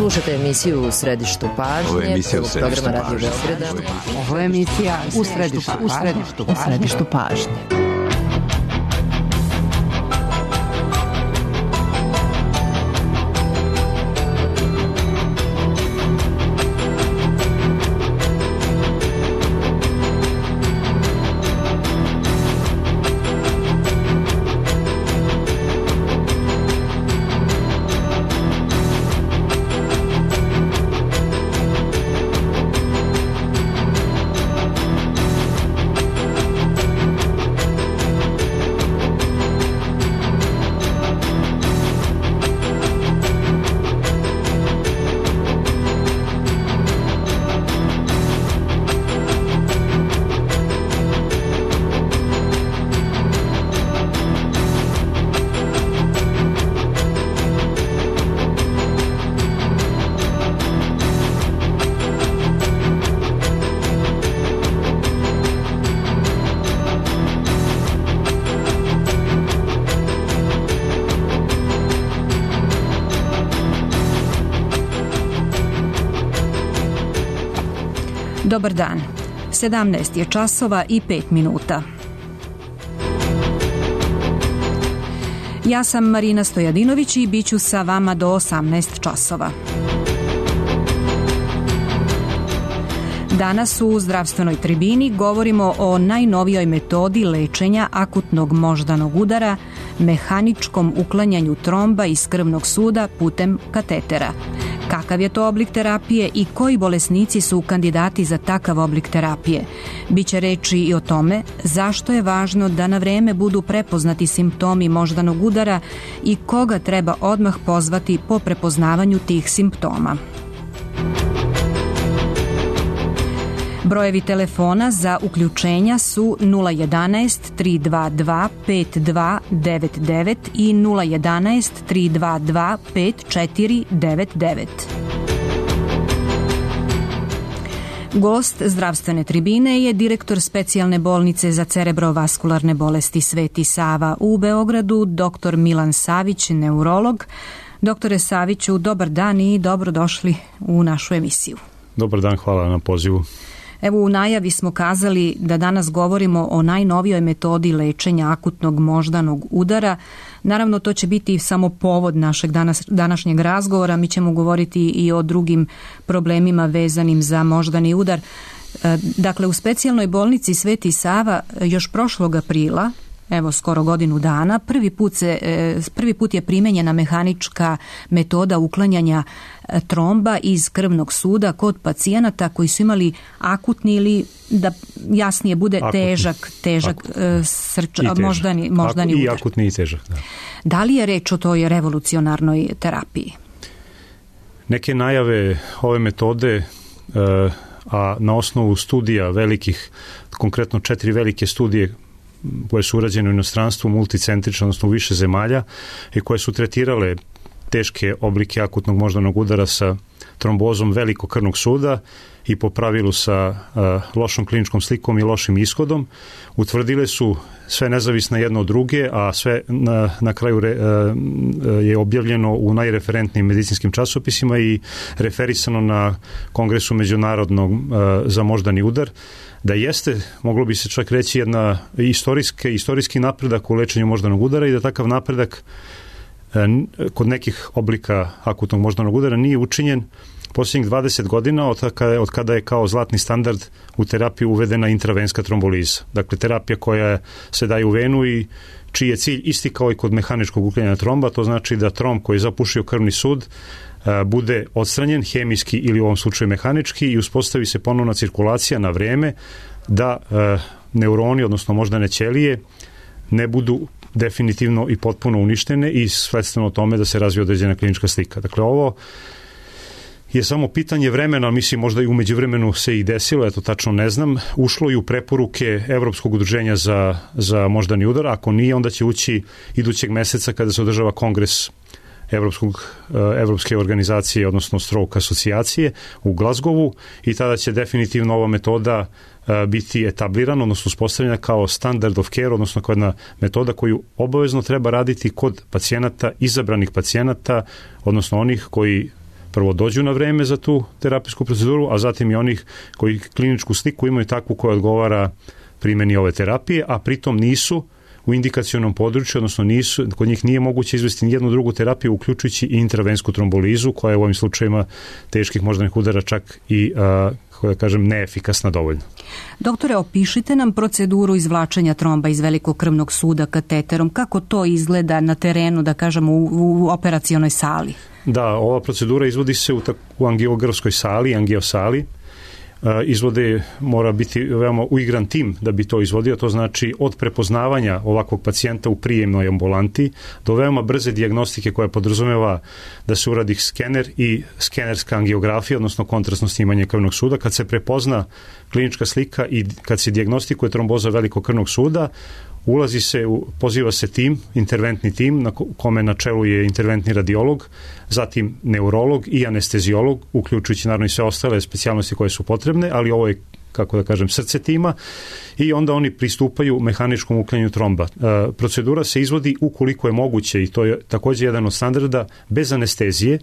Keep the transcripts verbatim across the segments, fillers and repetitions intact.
Slušate emisiju U središtu pažnje. Ovo je emisija U središtu programa Radio pažnje. Beograda. Ovo je emisija U središtu pažnje. U središtu pažnje. Dobar dan. sedamnaest je časova i pet minuta. Ja sam Marina Stojadinović i bit ću sa vama do osamnaest časova. Danas u zdravstvenoj tribini govorimo o najnovijoj metodi lečenja akutnog moždanog udara, mehaničkom uklanjanju tromba iz krvnog suda putem katetera. Kakav je to oblik terapije i koji bolesnici su kandidati za takav oblik terapije? Biće reči i o tome zašto je važno da na vreme budu prepoznati simptomi moždanog udara i koga treba odmah pozvati po prepoznavanju tih simptoma. Brojevi telefona za uključenja su nula jedanaest tri dva dva pet dva devet devet i nula jedanaest tri dva dva pet četiri devet devet. Gost zdravstvene tribine je direktor specijalne bolnice za cerebrovaskularne bolesti Sveti Sava u Beogradu, doktor Milan Savić, neurolog. Doktore Saviću, dobar dan i dobrodošli u našu emisiju. Dobar dan, hvala na pozivu. Evo, u najavi smo kazali da danas govorimo o najnovijoj metodi lečenja akutnog moždanog udara. Naravno, to će biti samo povod našeg danas, današnjeg razgovora. Mi ćemo govoriti i o drugim problemima vezanim za moždani udar. Dakle, u specijalnoj bolnici Sveti Sava još prošlog aprila, evo skoro godinu dana, prvi put, se, prvi put je primenjena mehanička metoda uklanjanja tromba iz krvnog suda kod pacijenata koji su imali akutni ili, da jasnije bude, akutni. težak, težak srč, moždani, moždani Aku, udar. I akutni i težak, da. Da li je reč o toj revolucionarnoj terapiji? Neke najave ove metode, a na osnovu studija velikih, konkretno četiri velike studije koje su urađene u inostranstvu, multicentrično, odnosno u više zemalja, i koje su tretirale teške oblike akutnog moždanog udara sa trombozom velikog krvnog suda i po pravilu sa uh, lošom kliničkom slikom i lošim ishodom, utvrdile su sve nezavisno jedno od druge, a sve na, na kraju re, uh, je objavljeno u najreferentnijim medicinskim časopisima i referisano na Kongresu međunarodnog uh, za moždani udar, da jeste, moglo bi se čak reći, jedna istorijski, istorijski napredak u lečenju moždanog udara i da takav napredak kod nekih oblika akutnog moždanog udara nije učinjen posljednjih dvadeset godina od kada, od kada je kao zlatni standard u terapiju uvedena intravenska tromboliza. Dakle, terapija koja se daje u venu i čiji je cilj isti kao i kod mehaničkog uklanjanja tromba, to znači da tromb koji je zapušio krvni sud bude odstranjen hemijski ili u ovom slučaju mehanički i uspostavi se ponovna cirkulacija na vreme da neuroni, odnosno moždane ćelije, ne budu definitivno i potpuno uništene i sledstveno tome da se razvije određena klinička slika. Dakle, ovo je samo pitanje vremena, mislim možda i u međuvremenu se i desilo, eto tačno ne znam, ušlo i u preporuke Evropskog udruženja za, za moždani udar, ako nije, onda će ući idućeg meseca kada se održava kongres Evropskog, Evropske organizacije, odnosno Stroke asocijacije u Glazgovu, i tada će definitivno ova metoda biti etablirana, odnosno uspostavljena kao standard of care, odnosno kao jedna metoda koju obavezno treba raditi kod pacijenata, izabranih pacijenata, odnosno onih koji prvo dođu na vreme za tu terapijsku proceduru, a zatim i onih koji kliničku sliku imaju takvu koja odgovara primjeni ove terapije, a pritom nisu u indikacionom području, odnosno nisu, kod njih nije moguće izvesti nijednu drugu terapiju, uključujući i intravensku trombolizu, koja je u ovim slučajima teških moždanih udara čak i, a, kako da kažem, neefikasna dovoljno. Doktore, opišite nam proceduru izvlačenja tromba iz velikog krvnog suda kateterom. Kako to izgleda na terenu, da kažemo, u, u operacionoj sali? Da, ova procedura izvodi se u, u angiografskoj sali, angiosali. Izvode mora biti veoma uigran tim da bi to izvodio, to znači od prepoznavanja ovakvog pacijenta u prijemnoj ambulanti do veoma brze dijagnostike koja podrazumeva da se uradi skener i skenerska angiografija, odnosno kontrastno snimanje krvnog suda. Kad se prepozna klinička slika i kad se dijagnostikuje tromboza velikog krvnog suda, ulazi se, poziva se tim, interventni tim, na kome na čelu je interventni radiolog, zatim neurolog i anestezijolog, uključujući naravno i sve ostale specijalnosti koje su potrebne, ali ovo je, kako da kažem, srce tima, i onda oni pristupaju mehaničkom uklanjanju tromba. E, procedura se izvodi ukoliko je moguće, i to je također jedan od standarda, bez anestezije,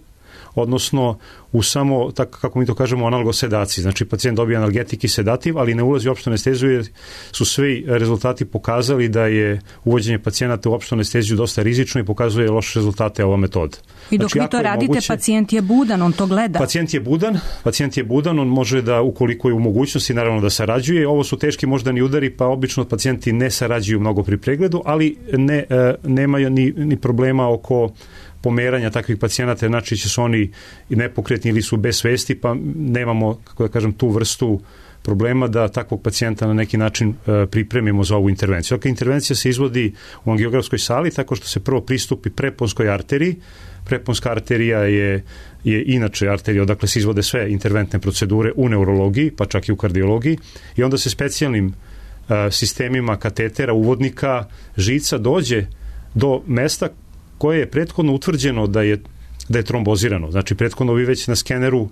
odnosno u samo, tako kako mi to kažemo, analgosedaciji. Znači, pacijent dobije analgetik i sedativ, ali ne ulazi u opštu anesteziju, jer su svi rezultati pokazali da je uvođenje pacijenata u opštu anesteziju dosta rizično i pokazuje loše rezultate ova metoda. I dok znači, vi to radite, moguće, pacijent je budan, on to gleda. Pacijent je budan, pacijent je budan, on može da, ukoliko je u mogućnosti, naravno da sarađuje. Ovo su teški moždani udari, pa obično pacijenti ne sarađuju mnogo pri pregledu, ali ne, nemaju ni, ni problema oko pomeranja takvih pacijenata, znači će su oni nepokretni ili su bez svesti, pa nemamo, kako da kažem, tu vrstu problema da takvog pacijenta na neki način e, pripremimo za ovu intervenciju. Dakle, intervencija se izvodi u angiografskoj sali tako što se prvo pristupi preponskoj arteriji. Preponska arterija je, je inače arterija odakle se izvode sve interventne procedure u neurologiji, pa čak i u kardiologiji, i onda se specijalnim e, sistemima katetera, uvodnika, žica dođe do mesta koje je prethodno utvrđeno da je, da je trombozirano. Znači, prethodno vi već na skeneru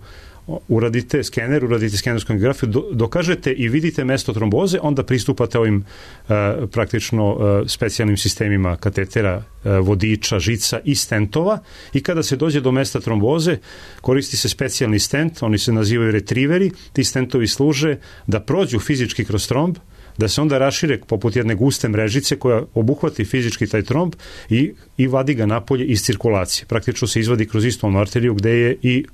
uradite skener, uradite skenersku angiografiju, do, dokažete i vidite mesto tromboze, onda pristupate ovim uh, praktično uh, specijalnim sistemima katetera, uh, vodiča, žica i stentova, i kada se dođe do mesta tromboze, koristi se specijalni stent, oni se nazivaju retriveri, ti stentovi služe da prođu fizički kroz tromb, da se onda rašire poput jedne guste mrežice koja obuhvati fizički taj tromb i, i vadi ga napolje iz cirkulacije. Praktično se izvadi kroz istu onu arteriju gde je i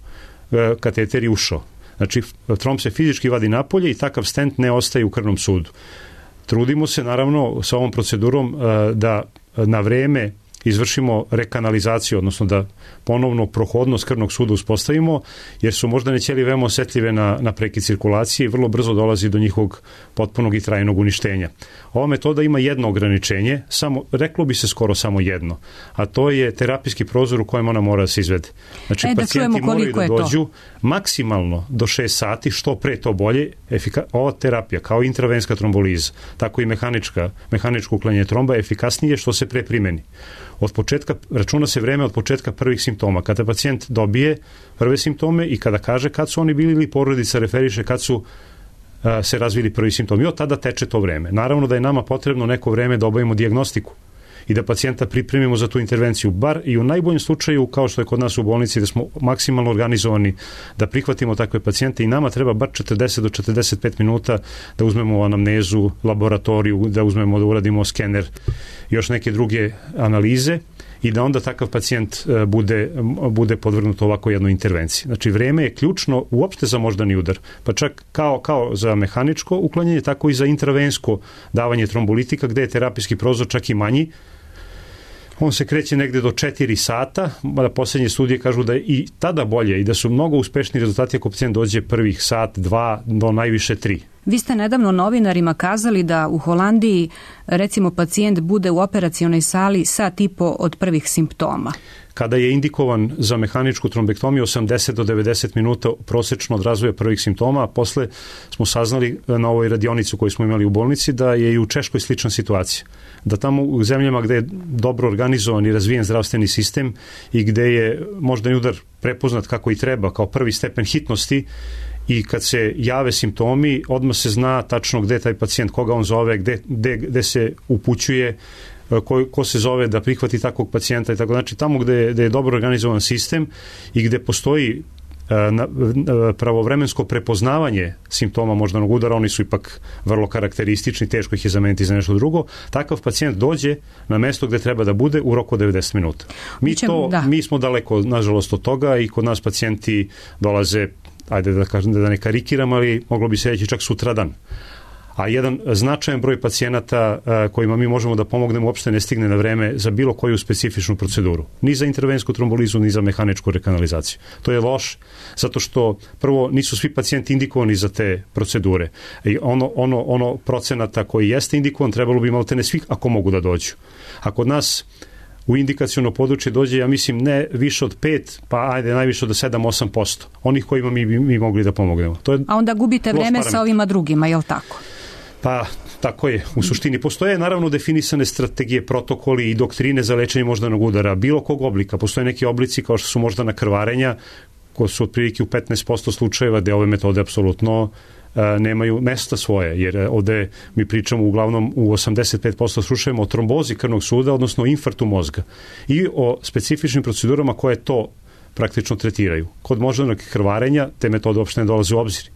e, kateter je ušao. Znači, tromb se fizički vadi napolje i takav stent ne ostaje u krvnom sudu. Trudimo se, naravno, sa ovom procedurom e, da na vreme izvršimo rekanalizaciju, odnosno da ponovno prohodnost krvnog suda uspostavimo, jer su moždane ćelije veoma osetljive na, na prekid cirkulacije i vrlo brzo dolazi do njihovog potpunog i trajnog uništenja. Ova metoda ima jedno ograničenje, samo, reklo bi se skoro samo jedno, a to je terapijski prozor u kojem ona mora da se izvede. Znači, e, da pacijenti moraju da dođu to? maksimalno do šest sati, što pre to bolje. Efika, ova terapija, kao intravenska tromboliza, tako i mehanička, mehaničko uklanjanje tromba, je efikasnije što se pre primeni. Od početka, računa se vreme od početka prvih simptoma. Kada pacijent dobije prve simptome i kada kaže kad su oni bili ili porodica referiše kad su a, se razvili prvi simptomi. I od tada teče to vreme. Naravno da je nama potrebno neko vreme da obavimo dijagnostiku i da pacijenta pripremimo za tu intervenciju. Bar i u najboljem slučaju, kao što je kod nas u bolnici, da smo maksimalno organizovani da prihvatimo takve pacijente, i nama treba bar četrdeset do četrdeset pet minuta da uzmemo anamnezu, laboratoriju, da uzmemo, da uradimo skener, još neke druge analize, i da onda takav pacijent bude, bude podvrgnut ovako jednoj intervenciji. Znači, vreme je ključno uopšte za moždani udar, pa čak kao, kao za mehaničko uklanjanje, tako i za intravensko davanje trombolitika, gde je terapijski prozor čak i manji. On se kreće negde do četiri sata, mada posljednje studije kažu da je i tada bolje i da su mnogo uspešni rezultati ako pacijent dođe prvih sat, dva, do najviše tri. Vi ste nedavno novinarima kazali da u Holandiji, recimo, pacijent bude u operacionoj sali sat i po od prvih simptoma. Kada je indikovan za mehaničku trombektomiju, osamdeset do devedeset minuta prosečno od razvoja prvih simptoma, a posle smo saznali na ovoj radionici koju smo imali u bolnici da je i u Češkoj slična situacija. Da tamo u zemljama gde je dobro organizovan i razvijen zdravstveni sistem i gde je moždani udar prepoznat kako i treba, kao prvi stepen hitnosti, i kad se jave simptomi, odmah se zna tačno gde je taj pacijent, koga on zove, gde, gde, gde se upućuje, ko, ko se zove da prihvati takvog pacijenta i tako. Znači, tamo gde, gde je dobro organizovan sistem i gde postoji pravovremensko prepoznavanje simptoma moždanog udara, oni su ipak vrlo karakteristični, teško ih je zameniti za nešto drugo, takav pacijent dođe na mesto gde treba da bude u roku devedeset minuta. Mi, to, mi smo daleko, nažalost, od toga i kod nas pacijenti dolaze, ajde da kažem da ne karikiram, ali moglo bi se reći čak sutradan. A jedan značajan broj pacijenata kojima mi možemo da pomognemo uopšte ne stigne na vreme za bilo koju specifičnu proceduru. Ni za intervensku trombolizu, ni za mehaničku rekanalizaciju. To je loš, zato što prvo nisu svi pacijenti indikovani za te procedure. I ono, ono, ono procenata koji jeste indikovan trebalo bi maltene svih ako mogu da dođu. A kod nas u indikaciono područje dođe, ja mislim, ne više od pet, pa ajde najviše od sedam do osam posto onih kojima mi mi mogli da pomognemo. To je A onda gubite vreme parametar sa ovima drugima, je li tako? Pa, tako je. U suštini postoje naravno definisane strategije, protokoli i doktrine za lečenje moždanog udara, bilo kog oblika. Postoje neki oblici kao što su moždana krvarenja, koji su otprilike u petnaest posto slučajeva gde ove metode apsolutno a, nemaju mesta svoje, jer ovde mi pričamo uglavnom u osamdeset pet posto slučajeva o trombozi krvnog suda, odnosno infarktu mozga i o specifičnim procedurama koje to praktično tretiraju. Kod moždanog krvarenja te metode uopšte ne dolaze u obzir.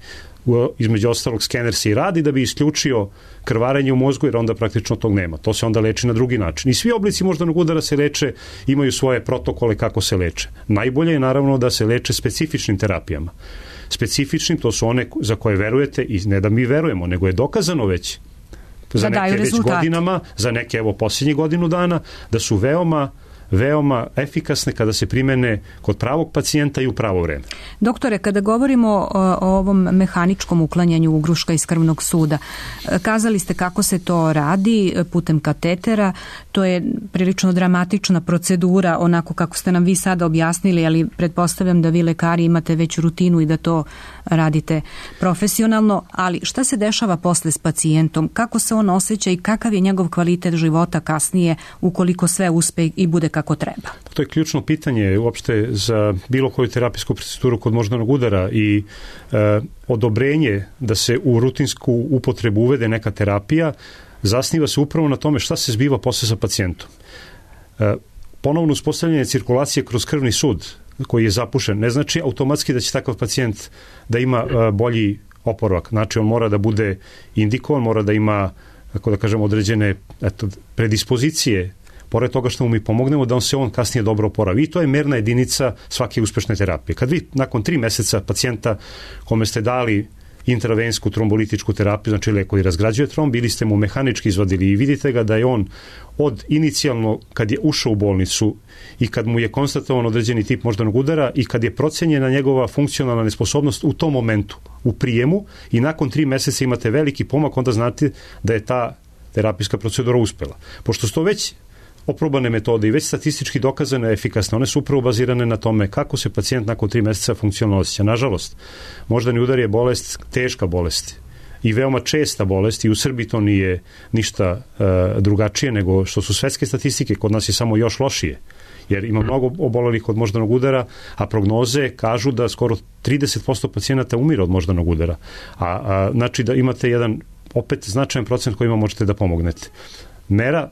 Između ostalog skener se i radi da bi isključio krvarenje u mozgu, jer onda praktično tog nema. To se onda leči na drugi način. I svi oblici moždanog udara se leče, imaju svoje protokole kako se leče. Najbolje je naravno da se leče specifičnim terapijama. Specifičnim, to su one za koje verujete i ne da mi verujemo, nego je dokazano već za da neke već godinama, za neke evo posljednjih godinu dana, da su veoma veoma efikasne kada se primene kod pravog pacijenta i u pravo vreme. Doktore, kada govorimo o, o ovom mehaničkom uklanjanju ugruška iz krvnog suda, kazali ste kako se to radi putem katetera, to je prilično dramatična procedura, onako kako ste nam vi sada objasnili, ali pretpostavljam da vi lekari imate već rutinu i da to radite profesionalno, ali šta se dešava posle s pacijentom? Kako se on osjeća i kakav je njegov kvalitet života kasnije ukoliko sve uspe i bude kako treba? To je ključno pitanje uopšte za bilo koju terapijsku proceduru kod moždanog udara i e, odobrenje da se u rutinsku upotrebu uvede neka terapija zasniva se upravo na tome šta se zbiva posle sa pacijentom. E, ponovno uspostavljanje cirkulacije kroz krvni sud koji je zapušen ne znači automatski da će takav pacijent da ima e, bolji oporavak. Znači on mora da bude indikovan, mora da ima, kako da kažem, određene eto, predispozicije pored toga što mu mi pomognemo da on se on kasnije dobro oporavi. I to je merna jedinica svake uspešne terapije. Kad vi nakon tri meseca pacijenta kome ste dali intravensku trombolitičku terapiju, znači lek koji razgrađuje tromb, ili ste mu mehanički izvadili i vidite ga da je on od inicijalno kad je ušao u bolnicu i kad mu je konstatovan određeni tip moždanog udara i kad je procenjena njegova funkcionalna nesposobnost u tom momentu, u prijemu, i nakon tri meseca imate veliki pomak, onda znate da je ta terapijska procedura uspela. Pošto su to već oprobane metode i već statistički dokazane efikasne, one su upravo bazirane na tome kako se pacijent nakon tri meseca funkcionalno osjeća. Nažalost, moždani udar je bolest, teška bolest i veoma česta bolest i u Srbiji to nije ništa e, drugačije nego što su svetske statistike, kod nas je samo još lošije, jer ima mnogo obolelih od moždanog udara, a prognoze kažu da skoro trideset posto pacijenata umire od moždanog udara. A, a znači da imate jedan opet značajan procent kojima možete da pomognete. Mera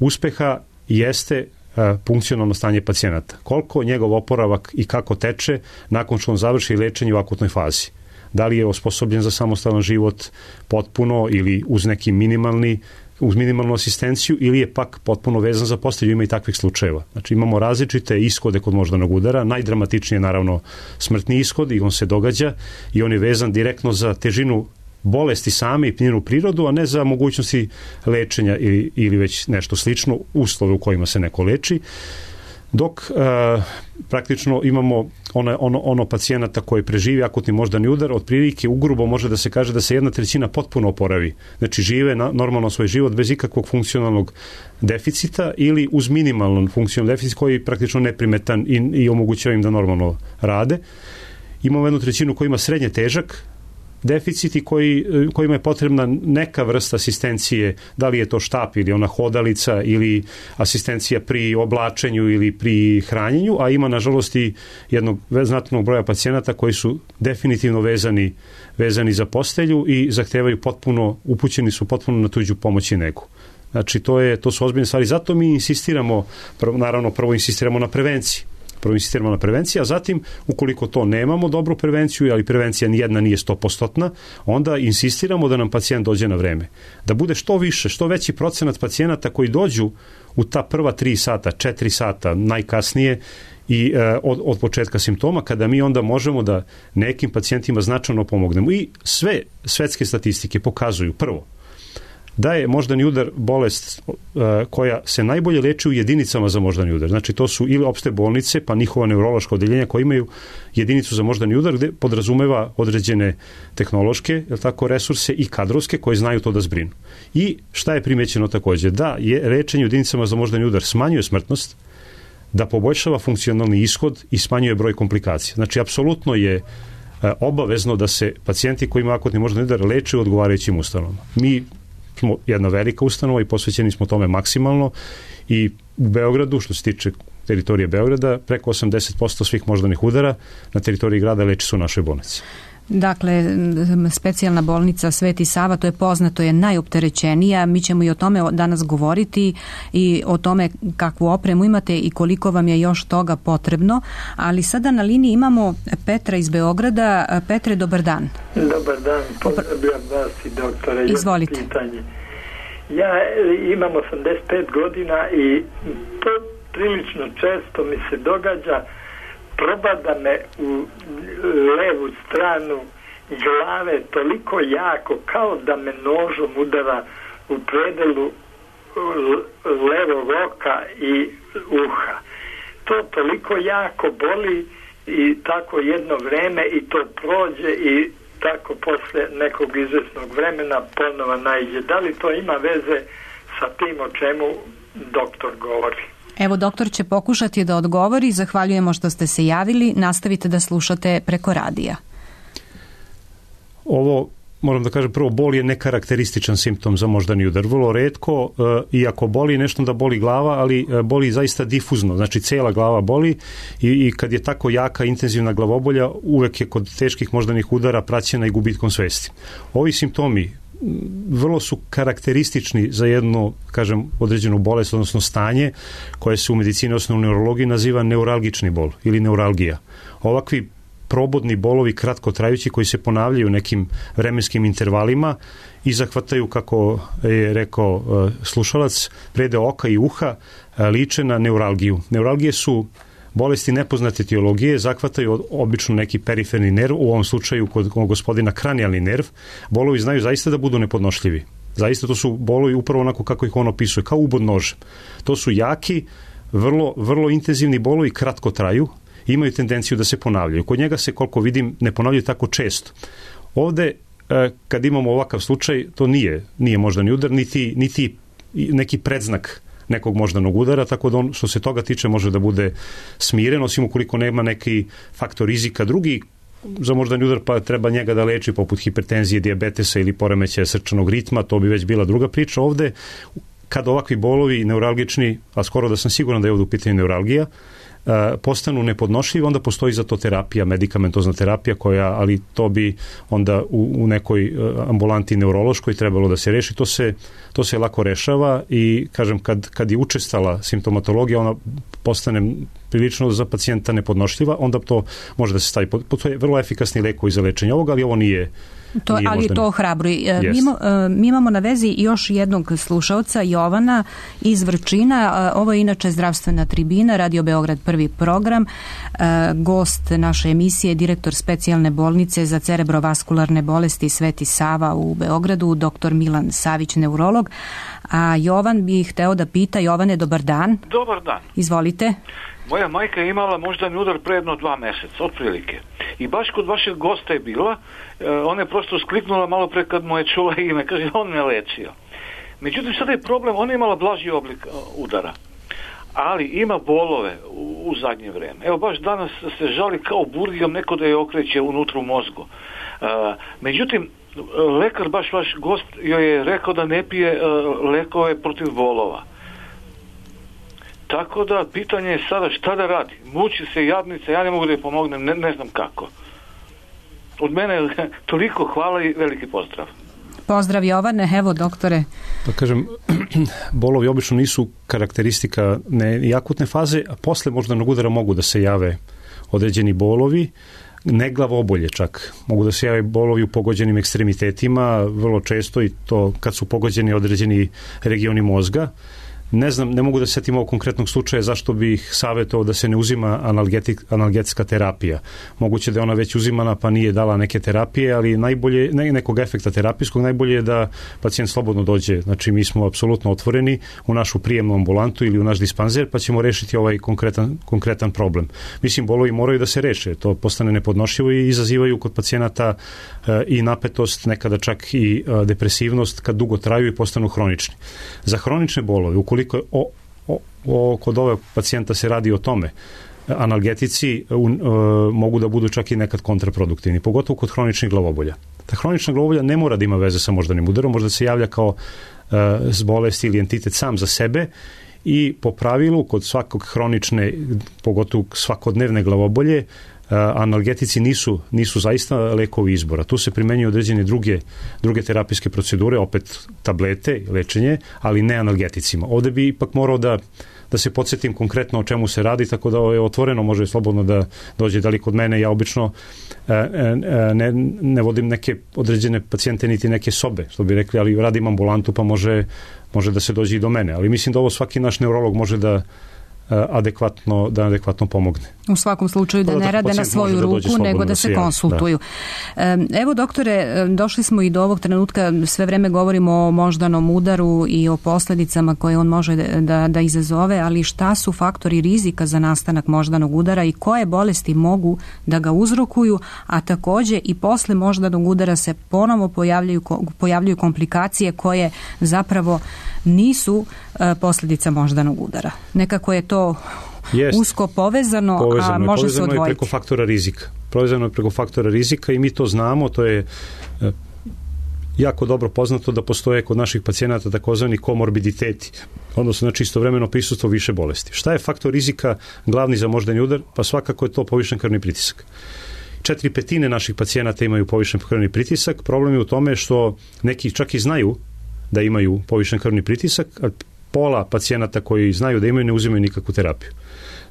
uspeha jeste a, funkcionalno stanje pacijenata. Koliko njegov oporavak i kako teče nakon što on završi lečenje u akutnoj fazi. Da li je osposobljen za samostalan život potpuno ili uz neki minimalni, uz minimalnu asistenciju, ili je pak potpuno vezan za postelju. Ima i takvih slučajeva. Znači imamo različite ishode kod moždanog udara. Najdramatičniji je naravno smrtni ishod i on se događa i on je vezan direktno za težinu bolesti same i njenu prirodu, a ne za mogućnosti lečenja ili, ili već nešto slično, uslove u kojima se neko leči. Dok e, praktično imamo ono, ono, ono pacijenata koji preživi akutni moždani udar, otprilike ugrubo može da se kaže da se jedna trećina potpuno oporavi. Znači žive na, normalno svoj život bez ikakvog funkcionalnog deficita ili uz minimalan funkcionalni deficit koji je praktično neprimetan i, i omogućava im da normalno rade. Imamo jednu trećinu koja ima srednje težak deficiti koji, kojima je potrebna neka vrsta asistencije, da li je to štap ili ona hodalica ili asistencija pri oblačenju ili pri hranjenju, a ima nažalost i jednog znatnog broja pacijenata koji su definitivno vezani, vezani za postelju i zahtevaju potpuno, upućeni su potpuno na tuđu pomoć i negu. Znači to, je, to su ozbiljne stvari, zato mi insistiramo, naravno prvo insistiramo na prevenciji. prvo insistiramo na prevenciji, a zatim, ukoliko to nemamo dobru prevenciju, ali prevencija nijedna nije sto posto, onda insistiramo da nam pacijent dođe na vreme. Da bude što više, što veći procenat pacijenata koji dođu u ta prva tri sata, četiri sata, najkasnije, i e, od, od početka simptoma, kada mi onda možemo da nekim pacijentima značajno pomognemo. I sve svetske statistike pokazuju, prvo, da je moždani udar bolest uh, koja se najbolje leči u jedinicama za moždani udar. Znači to su ili opšte bolnice, pa njihova neurološka odeljenja koja imaju jedinicu za moždani udar gde podrazumeva određene tehnološke, jel tako, resurse i kadrovske koji znaju to da zbrinu. I šta je primećeno takođe? Da je lečenje u jedinicama za moždani udar smanjuje smrtnost, da poboljšava funkcionalni ishod i smanjuje broj komplikacija. Znači apsolutno je uh, obavezno da se pacijenti koji imaju akutni moždani udar leče u odgovarajućim ustanovama. Mi smo jedna velika ustanova i posvećeni smo tome maksimalno i u Beogradu, što se tiče teritorije Beograda, preko osamdeset posto svih moždanih udara na teritoriji grada leči su u našoj bolnici. Dakle, specijalna bolnica Sveti Sava, to je poznato, je najopterećenija. Mi ćemo i o tome danas govoriti i o tome kakvu opremu imate i koliko vam je još toga potrebno. Ali sada na liniji imamo Petra iz Beograda. Petre, dobar dan. Dobar dan, pozdravljam vas i doktore. Izvolite. Pitanje. Ja imam osamdeset pet godina i to prilično često mi se događa, probada me u levu stranu glave toliko jako kao da me nožom udara u predelu levog oka i uha. To toliko jako boli i tako jedno vreme i to prođe i tako posle nekog izvesnog vremena ponova naiđe. Da li to ima veze sa tim o čemu doktor govori? Evo, doktor će pokušati da odgovori. Zahvaljujemo što ste se javili. Nastavite da slušate preko radija. Ovo, moram da kažem, prvo, bol je nekarakterističan simptom za moždani udar. Vrlo retko, e, iako boli nešto da boli glava, ali e, boli zaista difuzno. Znači, cela glava boli i, i kad je tako jaka, intenzivna glavobolja, uvek je kod teških moždanih udara praćena i gubitkom svesti. Ovi simptomi vrlo su karakteristični za jednu, kažem, određenu bolest, odnosno stanje koje se u medicini, odnosno u neurologiji naziva neuralgični bol ili neuralgija. Ovakvi probodni bolovi kratkotrajući koji se ponavljaju u nekim vremenskim intervalima i zahvataju, kako je rekao slušalac, predeo oka i uha, liče na neuralgiju. Neuralgije su bolesti nepoznate etiologije, zahvataju obično neki periferni nerv, u ovom slučaju kod gospodina kranijalni nerv. Bolovi znaju zaista da budu nepodnošljivi. Zaista to su bolovi upravo onako kako ih on opisuje, kao ubod nožem. To su jaki, vrlo, vrlo intenzivni bolovi, kratko traju, imaju tendenciju da se ponavljaju. Kod njega se, koliko vidim, ne ponavljaju tako često. Ovde, kad imamo ovakav slučaj, to nije, nije moždani udar, niti, niti neki predznak nekog moždanog udara, tako da on što se toga tiče može da bude smiren, osim ukoliko nema neki faktor rizika drugi za moždani udar, pa treba njega da leči poput hipertenzije, dijabetesa ili poremećaja srčanog ritma, to bi već bila druga priča. Ovde, kad ovakvi bolovi neuralgični, a skoro da sam siguran da je ovde u pitanju neuralgija, postanu nepodnošljivi, onda postoji za to terapija, medikamentozna terapija koja, ali to bi onda u, u nekoj ambulanti neurološkoj trebalo da se reši. To se, to se lako rešava i, kažem, kad, kad je učestala simptomatologija, ona postane prilično za pacijenta nepodnošljiva, onda to može da se stavi. To je vrlo efikasni lekovi za lečenje ovoga, ali ovo nije To, ali je to hrabro. Yes. Mi, mi imamo na vezi još jednog slušaoca, Jovana iz Vrčina. Ovo je inače zdravstvena tribina, Radio Beograd prvi program. Gost naše emisije, direktor specijalne bolnice za cerebrovaskularne bolesti Sveti Sava u Beogradu, doktor Milan Savić, neurolog. A Jovan bi hteo da pita. Jovane, dobar dan. Dobar dan. Izvolite. Moja majka je imala moždani udar pre jedno dva meseca, otprilike. I baš kod vašeg gosta je bila, ona je prosto skliknula malo pre kad mu je čula ime, kaže, on me lečio. Međutim, sada je problem, ona je imala blaži oblik udara, ali ima bolove u, u zadnje vreme. Evo, baš danas se žali kao burgijom, neko da je okreće unutra u mozgu. Međutim, lekar, baš vaš gost, joj je rekao da ne pije lekove protiv bolova. Tako da, pitanje je sada šta da radi. Muči se jadnica, ja ne mogu da je pomognem, ne, ne znam kako. Od mene toliko hvala i veliki pozdrav. Pozdrav, Jovane. Evo, doktore. Da kažem, bolovi obično nisu karakteristika ne, akutne faze, a posle moždanog udara mogu da se jave određeni bolovi, ne glavobolje čak. Mogu da se jave bolovi u pogođenim ekstremitetima, vrlo često i to kad su pogođeni određeni regioni mozga. Ne znam, ne mogu da se setim ovog konkretnog slučaja zašto bih savjetovao da se ne uzima analgetik, analgetska terapija. Moguće da je ona već uzimana pa nije dala neke terapije, ali najbolje, ne, nekog efekta terapijskog, najbolje je da pacijent slobodno dođe. Znači mi smo apsolutno otvoreni u našu prijemnu ambulantu ili u naš dispanzer pa ćemo rešiti ovaj konkretan, konkretan problem. Mislim, bolovi moraju da se reše, to postane nepodnošljivo i izazivaju kod pacijenata e, i napetost, nekada čak i e, depresivnost kad dugo traju i postanu hronični. Za hronične bolove, ukoliko Koliko o, o, o, kod ove pacijenta se radi o tome, analgetici u, e, mogu da budu čak i nekad kontraproduktivni, pogotovo kod hroničnih glavobolja. Ta hronična glavobolja ne mora da ima veze sa moždanim udarom, možda se javlja kao e, bolest ili entitet sam za sebe i po pravilu kod svakog hronične, pogotovo svakodnevne glavobolje, analgetici nisu, nisu zaista lekovi izbora. Tu se primenjuju određene druge, druge terapijske procedure, opet tablete, lečenje, ali ne analgeticima. Ovde bi ipak morao da, da se podsjetim konkretno o čemu se radi, tako da je otvoreno, može slobodno da dođe da li kod mene. Ja obično ne, ne vodim neke određene pacijente niti neke sobe, što bi rekli, ali radim ambulantu pa može, može da se dođe i do mene. Ali mislim da ovo svaki naš neurolog može da adekvatno, da adekvatno pomogne. U svakom slučaju da ne rade na svoju ruku, nego da se konsultuju. Evo, doktore, došli smo i do ovog trenutka, sve vreme govorimo o moždanom udaru i o posljedicama koje on može da, da izazove, ali šta su faktori rizika za nastanak moždanog udara i koje bolesti mogu da ga uzrokuju, a takođe i posle moždanog udara se ponovo pojavljaju, pojavljuju komplikacije koje zapravo nisu posljedica moždanog udara. Nekako je to Jest. usko povezano, povezano a može se odvojiti. Povezano je preko faktora rizika. Povezano je preko faktora rizika i mi to znamo, to je jako dobro poznato da postoje kod naših pacijenata takozvani komorbiditeti, odnosno znači istovremeno prisustvo više bolesti. Šta je faktor rizika glavni za moždani udar? Pa svakako je to povišen krvni pritisak. Četiri petine naših pacijenata imaju povišen krvni pritisak. Problem je u tome što neki čak i znaju da imaju povišen krvni pritisak, a pola pacijenata koji znaju da imaju ne uzimaju nikakvu terapiju.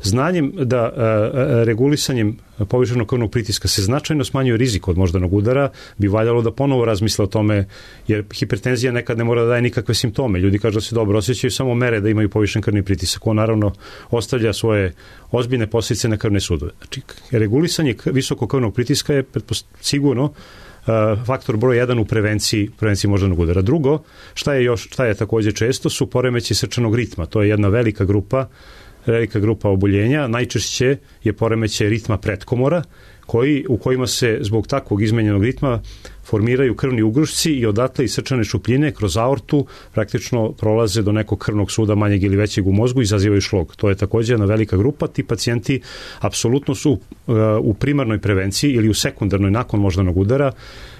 Znanjem da a, a, regulisanjem povišenog krvnog pritiska se značajno smanjuje rizik od moždanog udara, bi valjalo da ponovo razmisle o tome, jer hipertenzija nekad ne mora da daje nikakve simptome. Ljudi kažu da se dobro osjećaju, samo mere da imaju povišen krvni pritisak. On naravno ostavlja svoje ozbiljne posljedice na krvne sudove. Znači, regulisanje visokog krvnog pritiska je sigurno faktor broj jedan u prevenciji, prevenciji moždanog udara. Drugo, šta je još, šta je također često, su poremeći srčanog ritma. To je jedna velika grupa, velika grupa oboljenja. Najčešće je poremeće ritma pretkomora, koji, u kojima se zbog takvog izmenjenog ritma formiraju krvni ugrušci i odatle iz srčane šupljine kroz aortu praktično prolaze do nekog krvnog suda manjeg ili većeg u mozgu i izazivaju šlog. To je također jedna velika grupa. Ti pacijenti apsolutno su uh, u primarnoj prevenciji ili u sekundarnoj nakon moždanog udara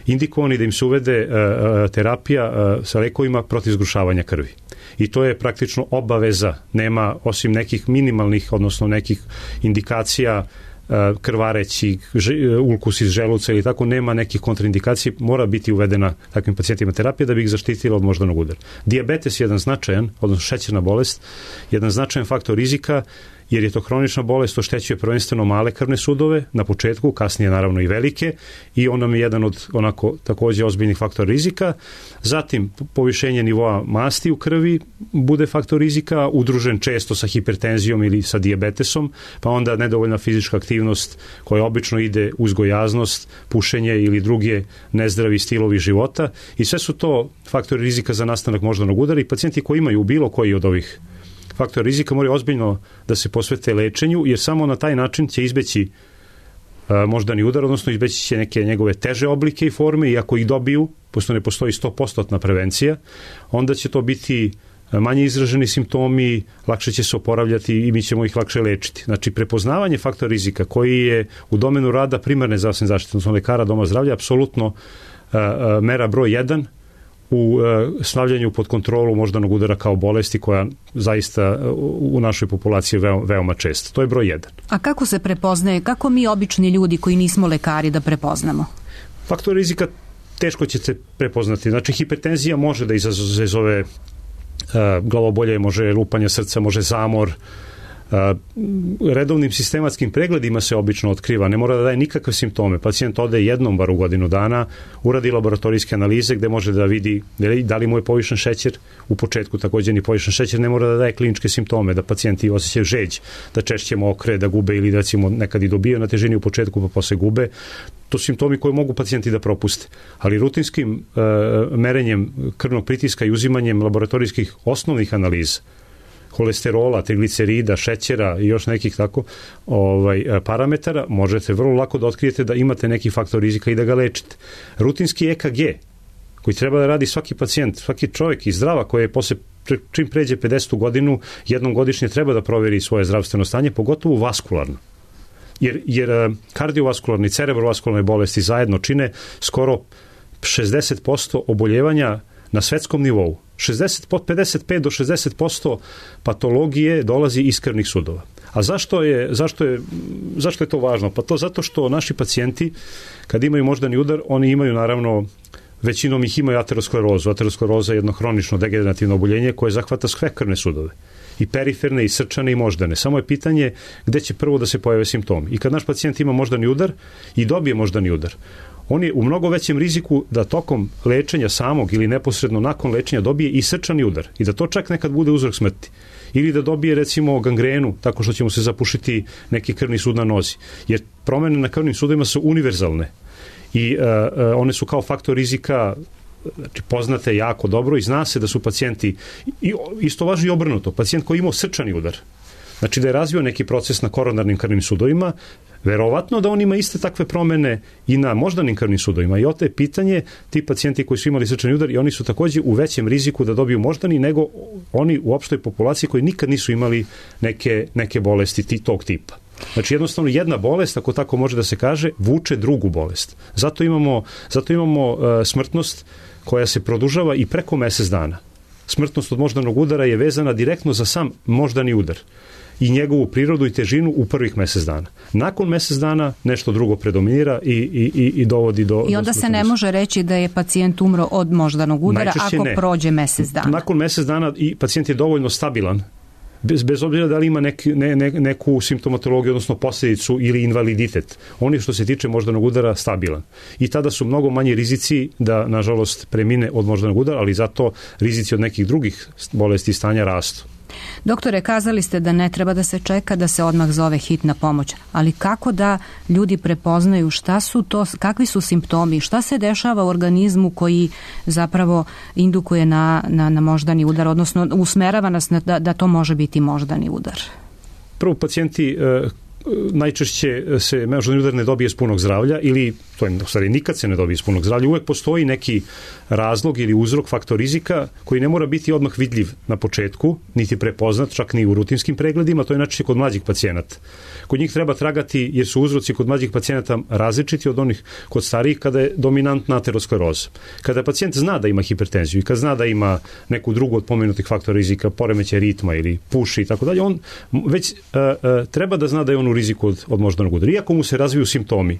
indikovani da im se uvede uh, uh, terapija uh, sa lekovima protiv zgrušavanja krvi. I to je praktično obaveza. Nema, osim nekih minimalnih, odnosno nekih indikacija krvareći, ulkus iz želuca ili tako, nema nekih kontraindikacija, mora biti uvedena takvim pacijentima terapija da bi ih zaštitila od moždanog udara. Dijabetes je jedan značajan, odnosno šećerna bolest, jedan značajan faktor rizika, jer je to hronična bolest, oštećuje prvenstveno male krvne sudove na početku, kasnije naravno i velike, i on nam je jedan od onako također ozbiljnih faktora rizika. Zatim povišenje nivoa masti u krvi bude faktor rizika, udružen često sa hipertenzijom ili sa dijabetesom, pa onda nedovoljna fizička aktivnost koja obično ide uz gojaznost, pušenje ili druge nezdravi stilovi života, i sve su to faktori rizika za nastanak moždanog udara, i pacijenti koji imaju bilo koji od ovih faktor rizika moraju ozbiljno da se posvete lečenju, jer samo na taj način će izbeći a, moždani udar, odnosno izbeći će neke njegove teže oblike i forme, i ako ih dobiju, pošto ne postoji sto posto prevencija, onda će to biti manje izraženi simptomi, lakše će se oporavljati i mi ćemo ih lakše lečiti. Znači, prepoznavanje faktora rizika koji je u domenu rada primarne zdravstvene zaštite, odnosno lekara doma zdravlja, apsolutno a, a, mera broj jedan u e, stavljanju pod kontrolu moždanog udara kao bolesti koja zaista u, u našoj populaciji je veoma, veoma česta. To je broj jedan. A kako se prepoznaje, kako mi obični ljudi koji nismo lekari da prepoznamo? Faktor rizika teško će se prepoznati. Znači, hipertenzija može da izazove glavobolje, može lupanje srca, može zamor. Redovnim sistematskim pregledima se obično otkriva, ne mora da daje nikakve simptome. Pacijent ode jednom bar u godinu dana, uradi laboratorijske analize gde može da vidi da li mu je povišen šećer. U početku također ni povišen šećer ne mora da daje kliničke simptome, da pacijenti osjećaju žeđ, da češće mokre, da gube ili da recimo nekad i dobiju na težini u početku pa posle gube. To su simptomi koje mogu pacijenti da propuste. Ali rutinskim e, merenjem krvnog pritiska i uzimanjem laboratorijskih osnovnih analiza, holesterola, triglicerida, šećera i još nekih tako ovaj, parametara, možete vrlo lako da otkrijete da imate neki faktor rizika i da ga lečite. Rutinski E K G, koji treba da radi svaki pacijent, svaki čovjek i zdrava koji je posle, čim pređe pedesetu godinu, jednom godišnje treba da proveri svoje zdravstveno stanje, pogotovo vaskularno. Jer, jer kardiovaskularni i cerebrovaskularne bolesti zajedno čine skoro šezdeset posto oboljevanja na svetskom nivou. šezdeset, pedeset pet do šezdeset posto patologije dolazi iz krvnih sudova. A zašto je, zašto je, zašto je to važno? Pa to zato što naši pacijenti, kad imaju moždani udar, oni imaju naravno, većinom ih imaju aterosklerozu. Ateroskleroza je jedno hronično degenerativno oboljenje koje zahvata sve krvne sudove. I periferne, i srčane, i moždane. Samo je pitanje gde će prvo da se pojave simptomi. I kad naš pacijent ima moždani udar i dobije moždani udar, on je u mnogo većem riziku da tokom lečenja samog ili neposredno nakon lečenja dobije i srčani udar i da to čak nekad bude uzrok smrti. Ili da dobije recimo gangrenu tako što će mu se zapušiti neki krvni sud na nozi. Jer promene na krvnim sudovima su univerzalne i uh, uh, one su kao faktor rizika, znači poznate jako dobro i zna se da su pacijenti, i isto važi i obrnuto, pacijent koji imao srčani udar, znači da je razvio neki proces na koronarnim krvnim sudovima, verovatno da on ima iste takve promene i na moždanim krvnim sudovima. I oto je pitanje, ti pacijenti koji su imali srčani udar i oni su također u većem riziku da dobiju moždani nego oni u opštoj populaciji koji nikad nisu imali neke, neke bolesti tog tipa. Znači jednostavno jedna bolest, ako tako može da se kaže, vuče drugu bolest. Zato imamo, zato imamo uh, smrtnost koja se produžava i preko mesec dana. Smrtnost od moždanog udara je vezana direktno za sam moždani udar i njegovu prirodu i težinu u prvih mesec dana. Nakon mesec dana nešto drugo predominira i, i, i dovodi do... I onda do se ne može reći da je pacijent umro od moždanog udara najčešće ako ne. Prođe mesec dana. Nakon mesec dana i pacijent je dovoljno stabilan, bez, bez obzira da li ima nek, ne, ne, neku simptomatologiju, odnosno posljedicu ili invaliditet. On je što se tiče moždanog udara stabilan. I tada su mnogo manji rizici da, nažalost, premine od moždanog udara, ali zato rizici od nekih drugih bolesti i stanja rastu. Doktore, kazali ste da ne treba da se čeka da se odmah zove hitna pomoć, ali kako da ljudi prepoznaju šta su to, kakvi su simptomi, šta se dešava u organizmu koji zapravo indukuje na, na, na moždani udar, odnosno usmerava nas na, da, da to može biti moždani udar? Prvo, pacijenti e, najčešće se moždani udar ne dobije iz punog zdravlja ili, to je u stvari nikad se ne dobije iz punog zdravlja, uvek postoji neki razlog ili uzrok, faktor rizika koji ne mora biti odmah vidljiv na početku, niti prepoznat, čak ni u rutinskim pregledima, to je najčešće kod mlađih pacijenata. Kod njih treba tragati jer su uzroci kod mlađih pacijenata različiti od onih kod starijih kada je dominantna ateroskleroza. Kada pacijent zna da ima hipertenziju i kada zna da ima neku drugu od pomenutih faktora rizika, poremećaj ritma ili puši i tako dalje, on već uh, uh, treba da zna da je on u riziku od, od moždanog udara. Iako mu se razviju simptomi,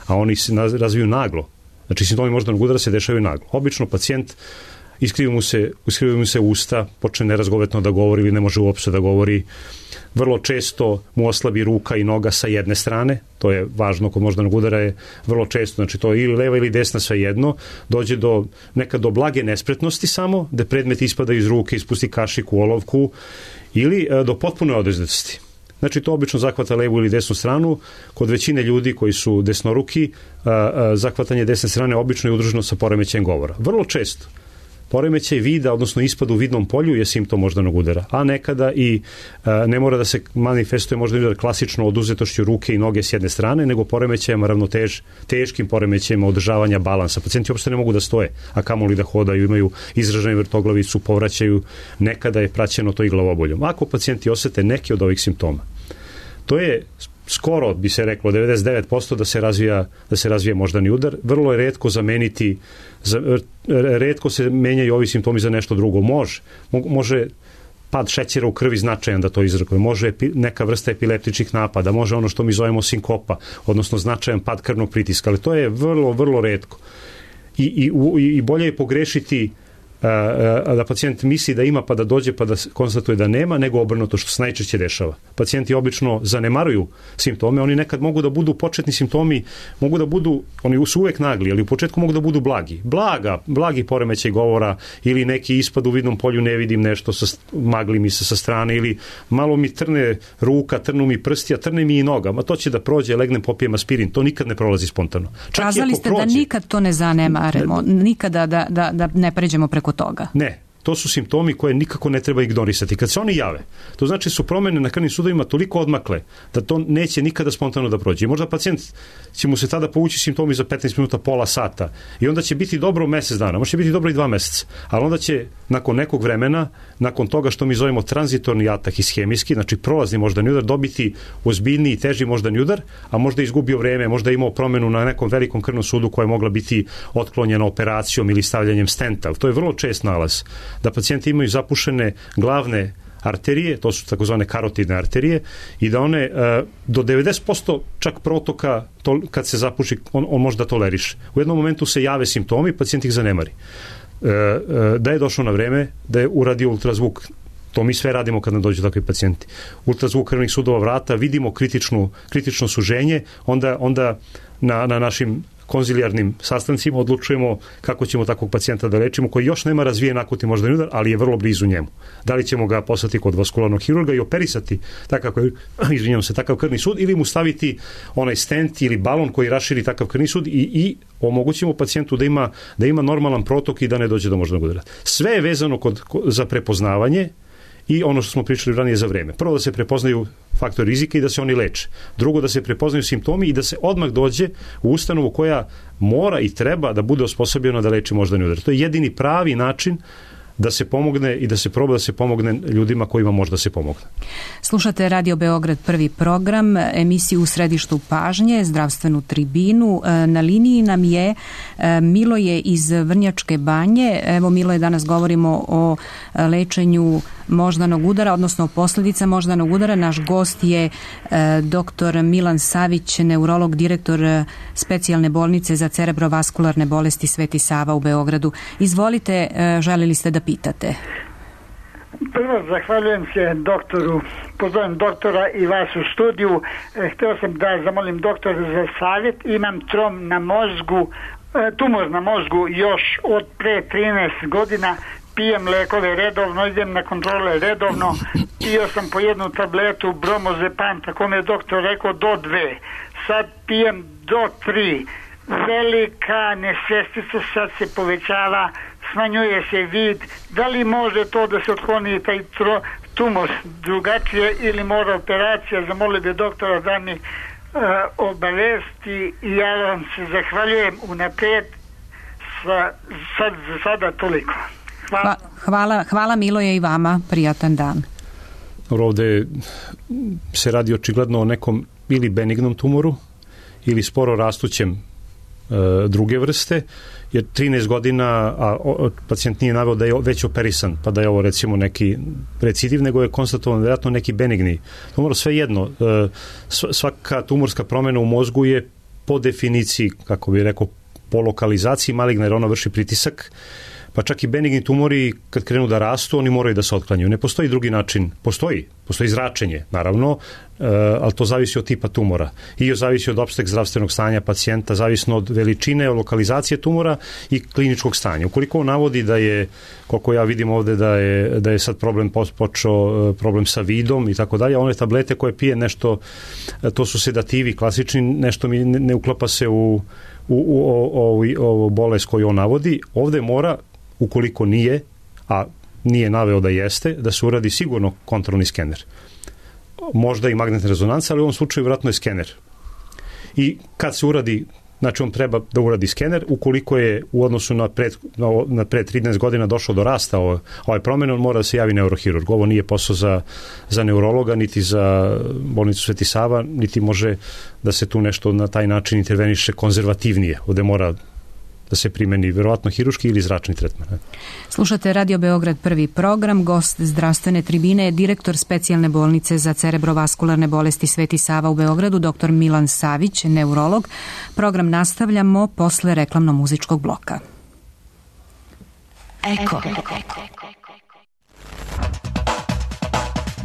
a oni se razviju naglo, znači simptomi moždanog udara se dešavaju naglo. Obično pacijent iskrivi mu se, iskrivi mu se usta, počne nerazgovetno da govori ili ne može uopšte da govori. Vrlo često mu oslabi ruka i noga sa jedne strane, to je važno kod moždanog udara, je vrlo često, znači to je ili leva ili desna, sve jedno, dođe do nekad do blage nespretnosti samo, da predmet ispada iz ruke, ispusti kašiku, olovku, ili e, do potpune oduzetosti. Znači to obično zahvata levu ili desnu stranu. Kod većine ljudi koji su desnoruki, a, a, zahvatanje desne strane obično je udruženo sa poremećajem govora. Vrlo često poremećaj vida, odnosno ispad u vidnom polju je simptom moždanog udara, a nekada i a, ne mora da se manifestuje moždani udar klasično oduzetošću ruke i noge s jedne strane, nego poremećajima ravnotež, teškim poremećajima održavanja balansa. Pacijenti uopšte ne mogu da stoje, a kamoli da hodaju, imaju izraženu vrtoglavicu, povraćaju, nekada je praćeno to i glavoboljom. Ako pacijenti osete neke od ovih simptoma, to je skoro, bi se reklo, devedeset devet posto da se razvija, da se razvije moždani udar. Vrlo je retko zameniti, za, retko se menjaju ovi simptomi za nešto drugo. Može, može pad šećera u krvi značajan da to izrekuje, može neka vrsta epileptičnih napada, može ono što mi zovemo sinkopa, odnosno značajan pad krvnog pritiska, ali to je vrlo, vrlo retko. I, i, i bolje je pogrešiti da pacijent misli da ima pa da dođe pa da konstatuje da nema, nego obrnuto što se najčešće dešava. Pacijenti obično zanemaruju simptome, oni nekad mogu da budu početni simptomi, mogu da budu, oni su uvek nagli, ali u početku mogu da budu blagi. Blaga, blagi poremećaj govora ili neki ispad u vidnom polju, ne vidim nešto, sa, magli mi se sa strane ili malo mi trne ruka, trnu mi prsti, a trne mi i noga. Ma to će da prođe, legnem, popijem aspirin. To nikad ne prolazi spontano. Čak Kazali ste prođe, da nikad to ne zanemaremo, nikada da, da, da ne pređemo preko toga. Ne, to su simptomi koje nikako ne treba ignorisati. Kad se oni jave, to znači su promene na krvnim sudovima toliko odmakle da to neće nikada spontano da prođe. I možda pacijent će mu se tada povući simptomi za petnaest minuta, pola sata i onda će biti dobro mesec dana, može biti dobro i dva meseca, ali onda će nakon nekog vremena, nakon toga što mi zovemo tranzitorni atak ishemijski, znači prolazni moždani udar, dobiti ozbiljniji i teži moždani udar, a možda izgubio vreme, možda imao promenu na nekom velikom krvnom sudu koja je mogla biti otklonjena operacijom ili stavljanjem stenta. To je vrlo čest nalaz. Da pacijenti imaju zapušene glavne arterije, to su takozvane karotidne arterije, i da one do devedeset posto čak protoka to, kad se zapuši, on, on može da toleriše. U jednom momentu se jave simptomi, pacijent ih zanemari. Da je došlo na vreme, da je uradio ultrazvuk, to mi sve radimo kad nam dođu takvi pacijenti. Ultrazvuk krvnih sudova vrata, vidimo kritičnu, kritično suženje, onda, onda na, na našim konzilijarnim sastancima odlučujemo kako ćemo takvog pacijenta da lečimo, koji još nema razvijen akutni moždani udar, ali je vrlo blizu njemu. Da li ćemo ga poslati kod vaskularnog hirurga i operisati takav, izvinjam se, takav krvni sud, ili mu staviti onaj stent ili balon koji raširi takav krvni sud i, i omogućimo pacijentu da ima, da ima normalan protok i da ne dođe do moždanog udara. Sve je vezano kod, za prepoznavanje i ono što smo pričali ranije za vreme. Prvo da se prepoznaju faktori rizika i da se oni leče. Drugo da se prepoznaju simptomi i da se odmah dođe u ustanovu koja mora i treba da bude osposobljena da leči moždani udar. To je jedini pravi način da se pomogne i da se proba da se pomogne ljudima kojima možda se pomogne. Slušate Radio Beograd prvi program, emisiju U središtu pažnje, zdravstvenu tribinu. Na liniji nam je Miloje iz Vrnjačke Banje. Evo Miloje, danas govorimo o lečenju moždanog udara, odnosno posljedica moždanog udara. Naš gost je doktor Milan Savić, neurolog, direktor specijalne bolnice za cerebrovaskularne bolesti Sveti Sava u Beogradu. Izvolite, želeli ste da pitate. Prvo, zahvaljujem se doktoru, pozdravim doktora i vas u studiju. Htio sam da zamolim doktora za savjet. Imam trom na mozgu, tumor na mozgu još od pre trinaest godina. Pijem lekove redovno, idem na kontrole redovno. Pio sam po jednu tabletu bromozepam, tako mi je doktor rekao do dve. Sad pijem do tri. Velika nesvestica sad se povećava, smanjuje se vid. Da li može to da se otkloni taj tro, tumor drugačije ili mora operacija? Zamolio bi doktora da mi uh, obavesti i ja vam se zahvaljujem unaprijed. Sa, sad, za sada toliko. Hvala. Hvala, hvala Miloje i vama, prijatan dan. Ovde se radi očigledno o nekom ili benignom tumoru ili sporo rastućem e, druge vrste, jer trinaest godina, a o, pacijent nije naveo da je već operisan, pa da je ovo recimo neki recidiv, nego je konstatovan vjerojatno neki benigni tumor. Sve jedno, e, svaka tumorska promjena u mozgu je po definiciji, kako bih rekao, po lokalizaciji maligna, jer ona vrši pritisak, pa čak i benigni tumori kad krenu da rastu, oni moraju da se otklanjaju. Ne postoji drugi način, postoji, postoji zračenje, naravno, e, ali to zavisi od tipa tumora i zavisi od opšteg zdravstvenog stanja pacijenta, zavisno od veličine, od lokalizacije tumora i kliničkog stanja. Ukoliko on navodi da je, koliko ja vidim ovde, da je, da je sad problem počeo, problem sa vidom i tako dalje, one tablete koje pije nešto, to su sedativi klasični, nešto mi ne, ne uklapa se u, u, u, u, u bolest koju on navodi. Ovde mora, ukoliko nije, a nije naveo da jeste, da se uradi sigurno kontrolni skener. Možda i magnetna rezonanca, ali u ovom slučaju vjerojatno je skener. I kad se uradi, znači on treba da uradi skener, ukoliko je u odnosu na pred, na, na pred trinaest godina došlo do rasta ove, ove promjene, on mora da se javi neurohirurg. Ovo nije posao za, za neurologa, niti za bolnicu Sveti Sava, niti može da se tu nešto na taj način interveniše konzervativnije. Ovde mora da se primeni vjerovatno hiruški ili zračni tretman. Slušate Radio Beograd prvi program. Gost zdravstvene tribine je direktor specijalne bolnice za cerebrovaskularne bolesti Sveti Sava u Beogradu, doktor Milan Savić, neurolog. Program nastavljamo posle reklamno-muzičkog bloka. Eko.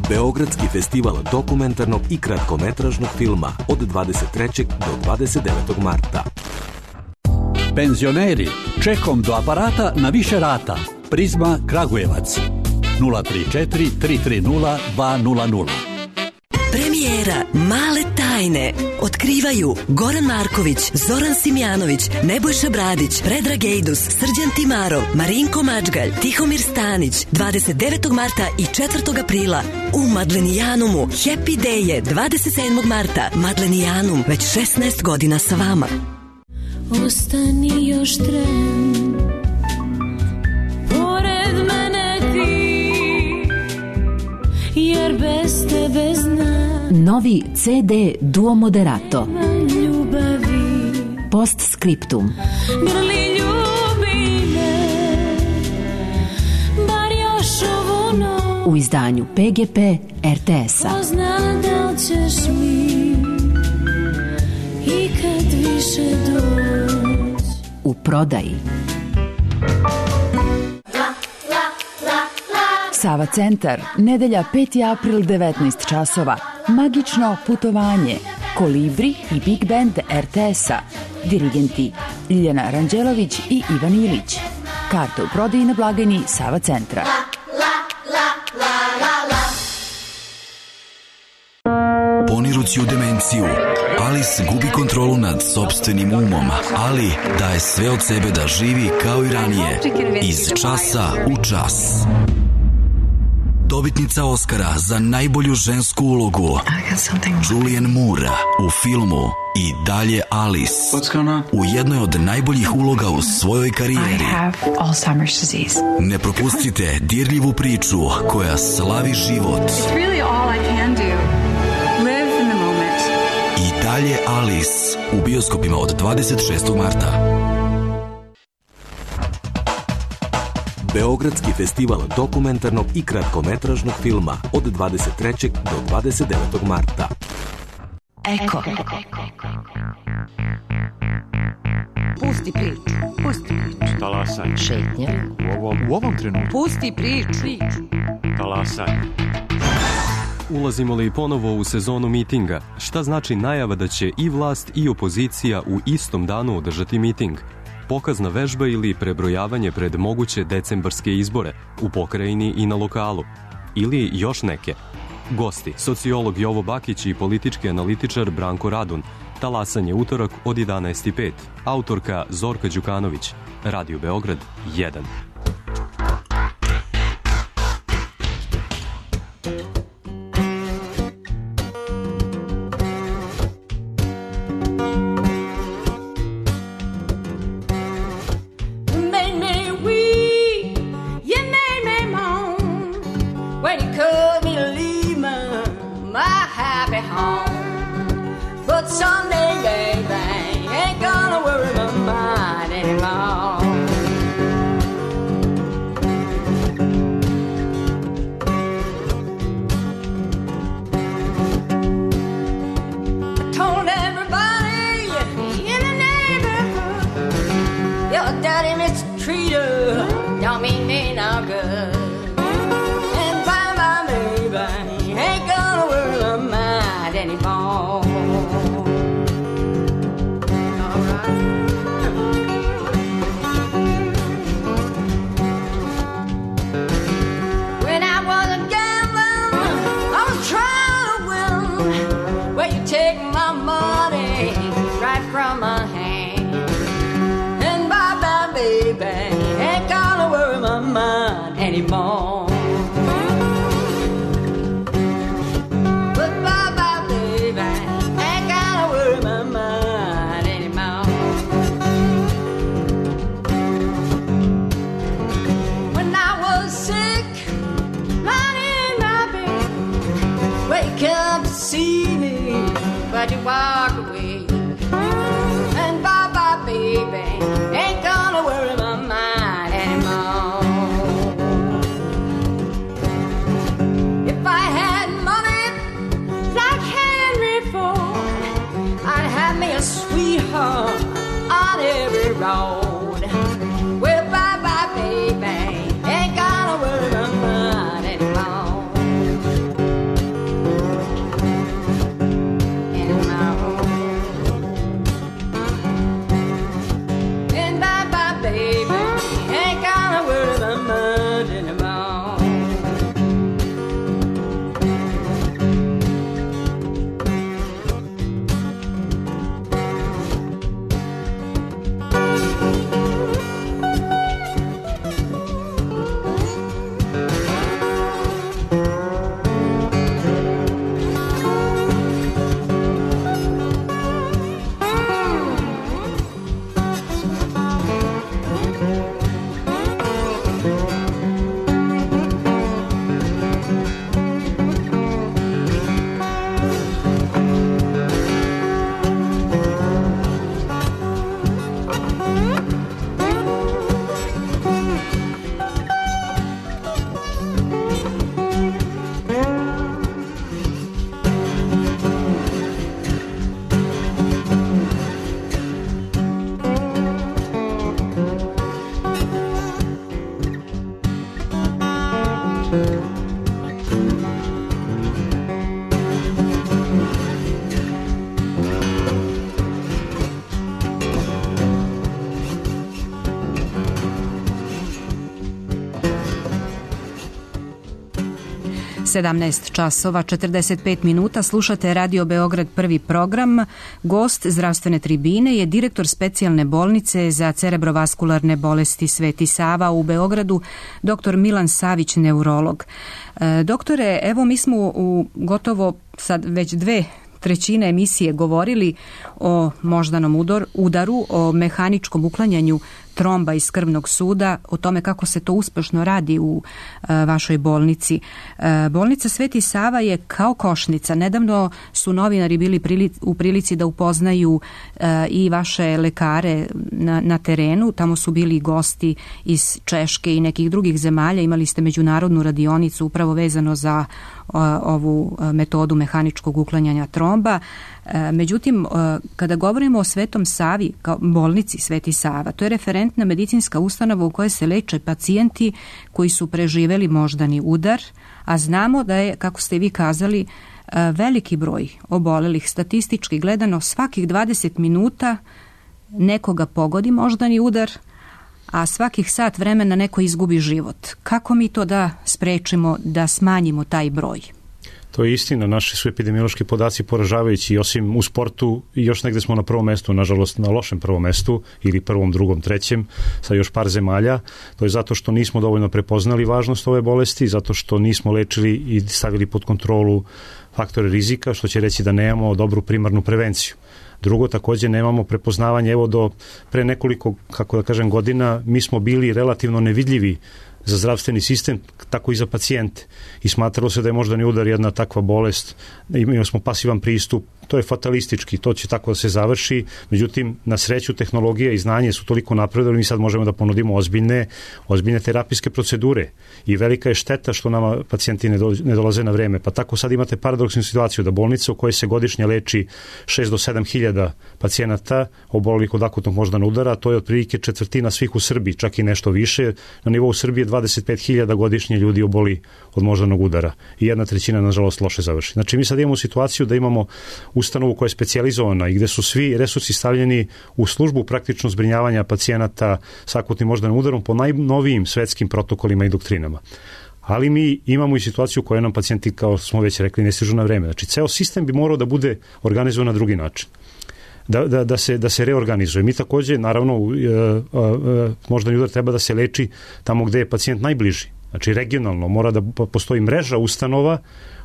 Beogradski festival dokumentarnog i kratkometražnog filma od dvadeset trećeg do dvadeset devetog marta. Penzioneri, čekom do aparata na više rata. Prizma Kragujevac. nula tri četiri tri tri nula dva nula nula. Premijera Male tajne otkrivaju Goran Marković, Zoran Simjanović, Nebojša Bradić, Predrag Ejdus, Srđan Timarov, Marinko Mačgalj, Tihomir Stanić, dvadeset devetog marta i četvrtog aprila u Madlenijanumu. Happy Day je dvadeset sedmog marta. Madlenijanum, već šesnaest godina sa vama. Ostani još tren, pored mene ti, jer bez tebe znam. Novi ce de Duo Moderato. Postscriptum. Grli ljubi me, bar još ovu noć. U izdanju pe ge pe er te es-a. Pozna da li ćeš mi ikad više doć. U prodaji. Sava centar, nedelja peti april devetnaest časova. Magično putovanje. Kolibri i Big Band er te es-a. Dirigenti Ljiljana Ranđelović i Ivan Ilić. Karte u prodaji na blagajni Sava centra. Ponirući u demenciju, Alice gubi kontrolu nad sopstvenim umom, ali daje sve od sebe da živi kao i ranije, iz časa u čas. Dobitnica Oscara za najbolju žensku ulogu Julianne Moore u filmu I dalje Alice, u jednoj od najboljih uloga u svojoj karijeri. Ne propustite dirljivu priču koja slavi život. I dalje Alice u bioskopima od dvadeset šestog marta. Beogradski festival dokumentarnog i kratkometražnog filma od dvadeset trećeg do dvadeset devetog marta. Eko. Pusti priču. Pusti priču. Talasanje. Šetnja. U ovom, u ovom trenutku. Pusti priču. Talasanje. Ulazimo li ponovo u sezonu mitinga? Šta znači najava da će i vlast i opozicija u istom danu održati miting? Pokazna vežba ili prebrojavanje pred moguće decembarske izbore u pokrajini i na lokalu? Ili još neke? Gosti, sociolog Jovo Bakić i politički analitičar Branko Radun. Talasanje utorak od jedanaest i pet. Autorka Zorka Đukanović. Radio Beograd jedan. On every road, well, bye bye, baby. sedamnaest časova četrdeset pet minuta, slušate Radio Beograd prvi program. Gost zdravstvene tribine je direktor specijalne bolnice za cerebrovaskularne bolesti Sveti Sava u Beogradu, doktor Milan Savić, neurolog. E, doktore, evo mi smo u gotovo sad već dve trećine emisije govorili o moždanom udor, udaru, o mehaničkom uklanjanju tromba iz krvnog suda, o tome kako se to uspešno radi u e, vašoj bolnici. E, bolnica Sveti Sava je kao košnica. Nedavno su novinari bili prili, u prilici da upoznaju e, i vaše lekare na, na terenu. Tamo su bili gosti iz Češke i nekih drugih zemalja. Imali ste međunarodnu radionicu upravo vezano za o, ovu metodu mehaničkog uklanjanja tromba. E, međutim, e, kada govorimo o Svetom Savi, kao bolnici Sveti Sava, to je referentna medicinska ustanova u kojoj se leče pacijenti koji su preživeli moždani udar, a znamo da je, kako ste vi kazali, veliki broj obolelih, statistički gledano svakih dvadeset minuta nekoga pogodi moždani udar, a svakih sat vremena neko izgubi život. Kako mi to da sprečimo, da smanjimo taj broj? To je istina, naši su epidemiološki podaci poražavajući, osim u sportu i još negde smo na prvom mestu, nažalost na lošem prvom mestu ili prvom, drugom, trećem, sa još par zemalja. To je zato što nismo dovoljno prepoznali važnost ove bolesti, zato što nismo lečili i stavili pod kontrolu faktore rizika, što će reći da nemamo dobru primarnu prevenciju. Drugo, takođe nemamo prepoznavanje, evo do pre nekoliko, kako da kažem, godina, mi smo bili relativno nevidljivi za zdravstveni sistem, tako i za pacijente. I smatralo se da je moždani udar jedna takva bolest, imali smo pasivan pristup, to je fatalistički, to će tako da se završi, međutim, na sreću tehnologija i znanje su toliko napredovali, mi sad možemo da ponudimo ozbiljne, ozbiljne terapijske procedure i velika je šteta što nama pacijenti ne, do, ne dolaze na vreme. Pa tako sad imate paradoksnu situaciju da bolnica u kojoj se godišnje leči šest do sedam hiljada pacijenata obolelih od akutnog moždanog udara, to je otprilike četvrtina svih u Srbiji, čak i nešto više. Na nivou Srbije dvadeset pet hiljada godišnje ljudi oboli od moždanog udara i jedna trećina, nažalost, loše završi. Znači, mi sad imamo situaciju da imamo ustanovu koja je specijalizovana i gde su svi resursi stavljeni u službu praktično zbrinjavanja pacijenata sa akutnim moždanim udarom po najnovijim svetskim protokolima i doktrinama. Ali mi imamo i situaciju u kojoj nam pacijenti, kao smo već rekli, ne stižu na vreme. Znači, ceo sistem bi morao da bude organizovan na drugi način. Da, da, da, se, da se reorganizuje. Mi takođe, naravno, moždani udar treba da se leči tamo gde je pacijent najbliži. Znači, regionalno mora da postoji mreža ustanova,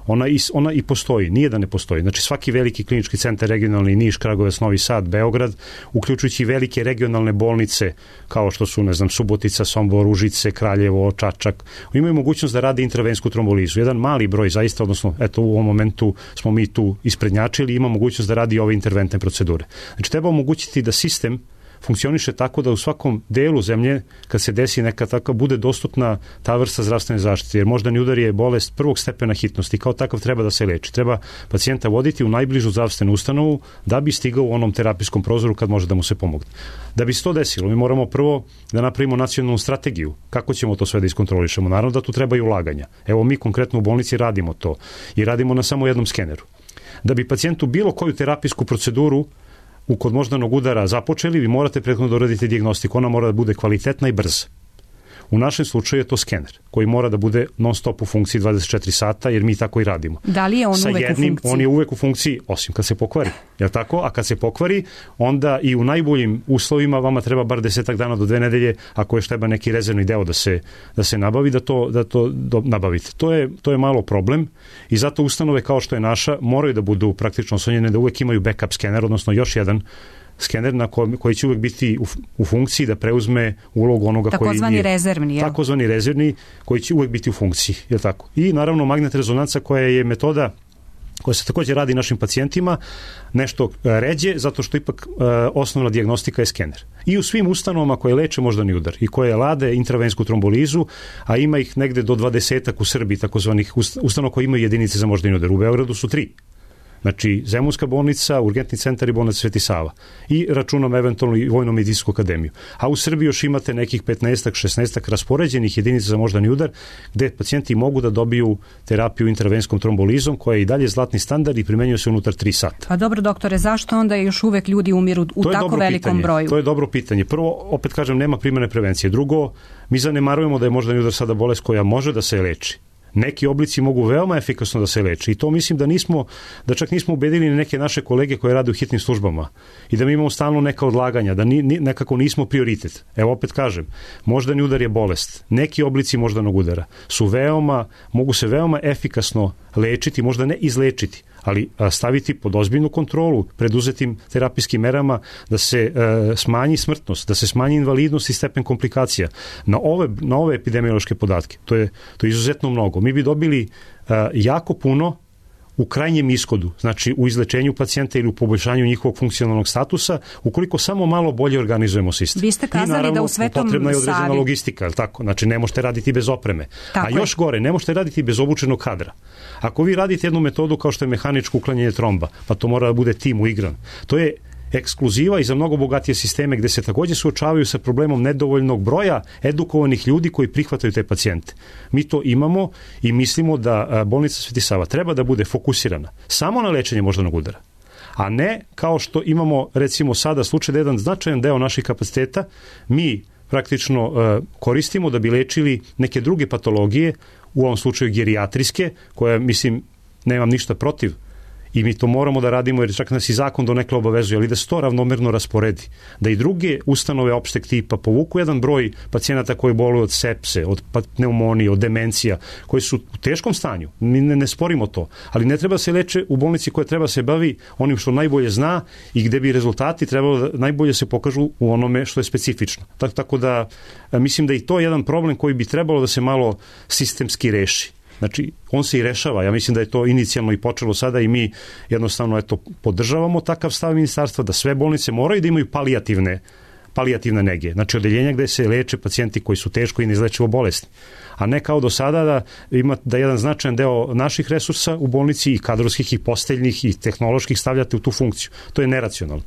ona i, ona i postoji, nije da ne postoji. Znači, svaki veliki klinički centar regionalni, Niš, Kragujevac, Novi Sad, Beograd, uključujući velike regionalne bolnice, kao što su, ne znam, Subotica, Sombor, Užice, Kraljevo, Čačak, imaju mogućnost da rade intravensku trombolizu. Jedan mali broj, zaista, odnosno, eto, u ovom momentu smo mi tu isprednjačili, ima mogućnost da radi ove interventne procedure. Znači, treba omogućiti da sistem funkcioniše tako da u svakom delu zemlje, kad se desi neka taka, bude dostupna ta vrsta zdravstvene zaštite, jer moždani udar je bolest prvog stepena hitnosti, kao takav treba da se leči. Treba pacijenta voditi u najbližu zdravstvenu ustanovu da bi stigao u onom terapijskom prozoru kad može da mu se pomogne. Da bi se to desilo, mi moramo prvo da napravimo nacionalnu strategiju. Kako ćemo to sve da iskontrolišemo? Naravno da tu treba i ulaganja. Evo, mi konkretno u bolnici radimo to i radimo na samo jednom skeneru. Da bi pacijentu bilo koju terapijsku proceduru u kod moždanog udara započeli, vi morate prethodno da uradite dijagnostiku. Ona mora da bude kvalitetna i brza. U našem slučaju je to skener, koji mora da bude non stop u funkciji dvadeset četiri sata, jer mi tako i radimo. Da li je on Sa uvek jednim, u funkciji? On je uvek u funkciji, osim kad se pokvari. Je li tako? A kad se pokvari, onda i u najboljim uslovima vama treba bar desetak dana do dve nedelje, ako još treba neki rezervni deo da se, da se nabavi, da to, da to do, nabavite. To je, to je malo problem i zato ustanove kao što je naša moraju da budu praktično oslonjene, da uvek imaju backup skener, odnosno još jedan skener na koji, koji će uvek biti u, u funkciji da preuzme ulogu onoga tako koji zvani je rezervni, ja? Takozvani rezervni, koji će uvek biti u funkciji, je tako? I naravno magnet rezonanca, koja je metoda koja se takođe radi našim pacijentima, nešto ređe, zato što ipak e, osnovna dijagnostika je skener. I u svim ustanovama koje leče moždani udar i koje lade intravensku trombolizu, a ima ih negde do dvadesetak u Srbiji, takozvanih ustanova koje imaju jedinice za moždani udar. U Beogradu su tri. Znači, Zemunska bolnica, Urgentni centar i bolnica Sveti Sava. I računom eventualno i Vojno-medicinsku akademiju. A u Srbiji još imate nekih petnaestak, šesnaestak raspoređenih jedinica za moždani udar, gde pacijenti mogu da dobiju terapiju intravenskom trombolizom, koja je i dalje zlatni standard i primenjuje se unutar tri sata. Pa dobro, doktore, zašto onda još uvek ljudi umiru u tako velikom pitanje. broju? To je dobro pitanje. Prvo, opet kažem, nema primarne prevencije. Drugo, mi zanemarujemo da je moždani udar sada bolest koja može da se leči. Neki oblici mogu veoma efikasno da se leče i to mislim da nismo, da čak nismo ubedili neke naše kolege koje rade u hitnim službama i da mi imamo stalno neka odlaganja, da ni, ni, nekako nismo prioritet. Evo opet kažem, moždani udar je bolest. Neki oblici moždanog udara su veoma, mogu se veoma efikasno lečiti, možda ne izlečiti, ali staviti pod ozbiljnu kontrolu preduzetim terapijskim merama da se e, smanji smrtnost, da se smanji invalidnost i stepen komplikacija. Na ove, na ove epidemiološke podatke, to je, to je izuzetno mnogo. Mi bi dobili e, jako puno u krajnjem ishodu, znači u izlečenju pacijenta ili u poboljšanju njihovog funkcionalnog statusa, ukoliko samo malo bolje organizujemo sistem. Vi ste kazali I naravno, da u Svetom potrebna je određena Savi... logistika, ali tako? Znači ne možete raditi bez opreme. Tako A je. još gore, ne možete raditi bez obučenog kadra. Ako vi radite jednu metodu kao što je mehaničko uklanjanje tromba, pa to mora da bude tim uigran. To je ekskluziva i za mnogo bogatije sisteme gde se takođe suočavaju sa problemom nedovoljnog broja edukovanih ljudi koji prihvataju te pacijente. Mi to imamo i mislimo da bolnica Sveti Sava treba da bude fokusirana samo na lečenje moždanog udara, a ne kao što imamo recimo sada slučaj da jedan značajan deo naših kapaciteta mi praktično uh, koristimo da bi lečili neke druge patologije, u ovom slučaju gerijatrijske, koje mislim nemam ništa protiv i mi to moramo da radimo jer čak nas i zakon donekle obavezuje, ali da se to ravnomerno rasporedi. Da i druge ustanove opšteg tipa povuku jedan broj pacijenata koji boluju od sepse, od pneumonije, od demencija, koji su u teškom stanju. Mi ne, ne sporimo to, ali ne treba se leče u bolnici koja treba se bavi onim što najbolje zna i gde bi rezultati trebalo da najbolje se pokažu u onome što je specifično. Tako, tako da mislim da i to je jedan problem koji bi trebalo da se malo sistemski reši. Znači, on se i rešava. Ja mislim da je to inicijalno i počelo sada i mi jednostavno eto, podržavamo takav stav ministarstva da sve bolnice moraju da imaju palijativne, palijativne nege. Znači, odeljenja gde se leče pacijenti koji su teško i neizlečivo bolesni. A ne kao do sada da ima da jedan značajan deo naših resursa u bolnici i kadrovskih i posteljnih i tehnoloških stavljate u tu funkciju. To je neracionalno.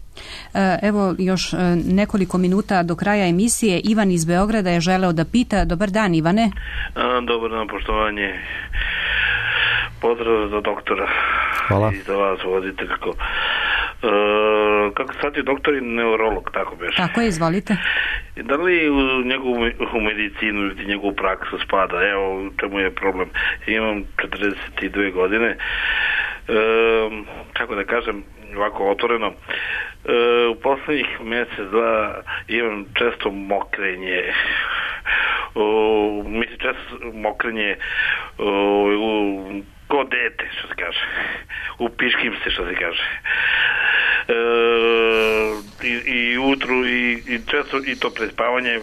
Evo još nekoliko minuta do kraja emisije. Ivan iz Beograda je želeo da pita. Dobar dan, Ivane. Dobar dan, poštovanje. Pozdrav za doktora. Hvala. I za vas vodite kako. E, kako sad je doktor i neurolog, tako beše. Tako je, izvolite. Da li u njegovu u medicinu ili njegovu praksu spada? Evo, u čemu je problem? Imam četrdeset dve godine. E, kako da kažem, ovako otvoreno. E, u poslednjih mjesec, dva imam često mokrenje. O, mislim, često mokrenje o, u ko dete, što se kaže. Upiškim se, što se kaže. E, i, i utru i, i često i to prespavanje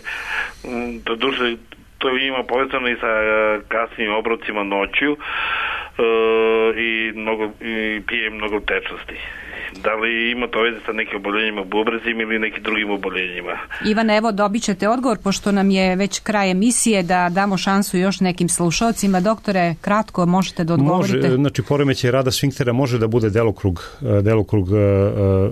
to duše to ima povezano i sa kasnim obrocima noću e, i, mnogo, i pijem mnogo tečnosti. Da li ima to veze sa nekim oboljenjima bubrezima ili nekim drugim oboljenjima? Ivan, evo dobit ćete odgovor, pošto nam je već kraj emisije, da damo šansu još nekim slušalcima. Doktore, kratko možete da odgovorite. Može, znači poremećaj rada sfinktera može da bude delokrug, delokrug uh,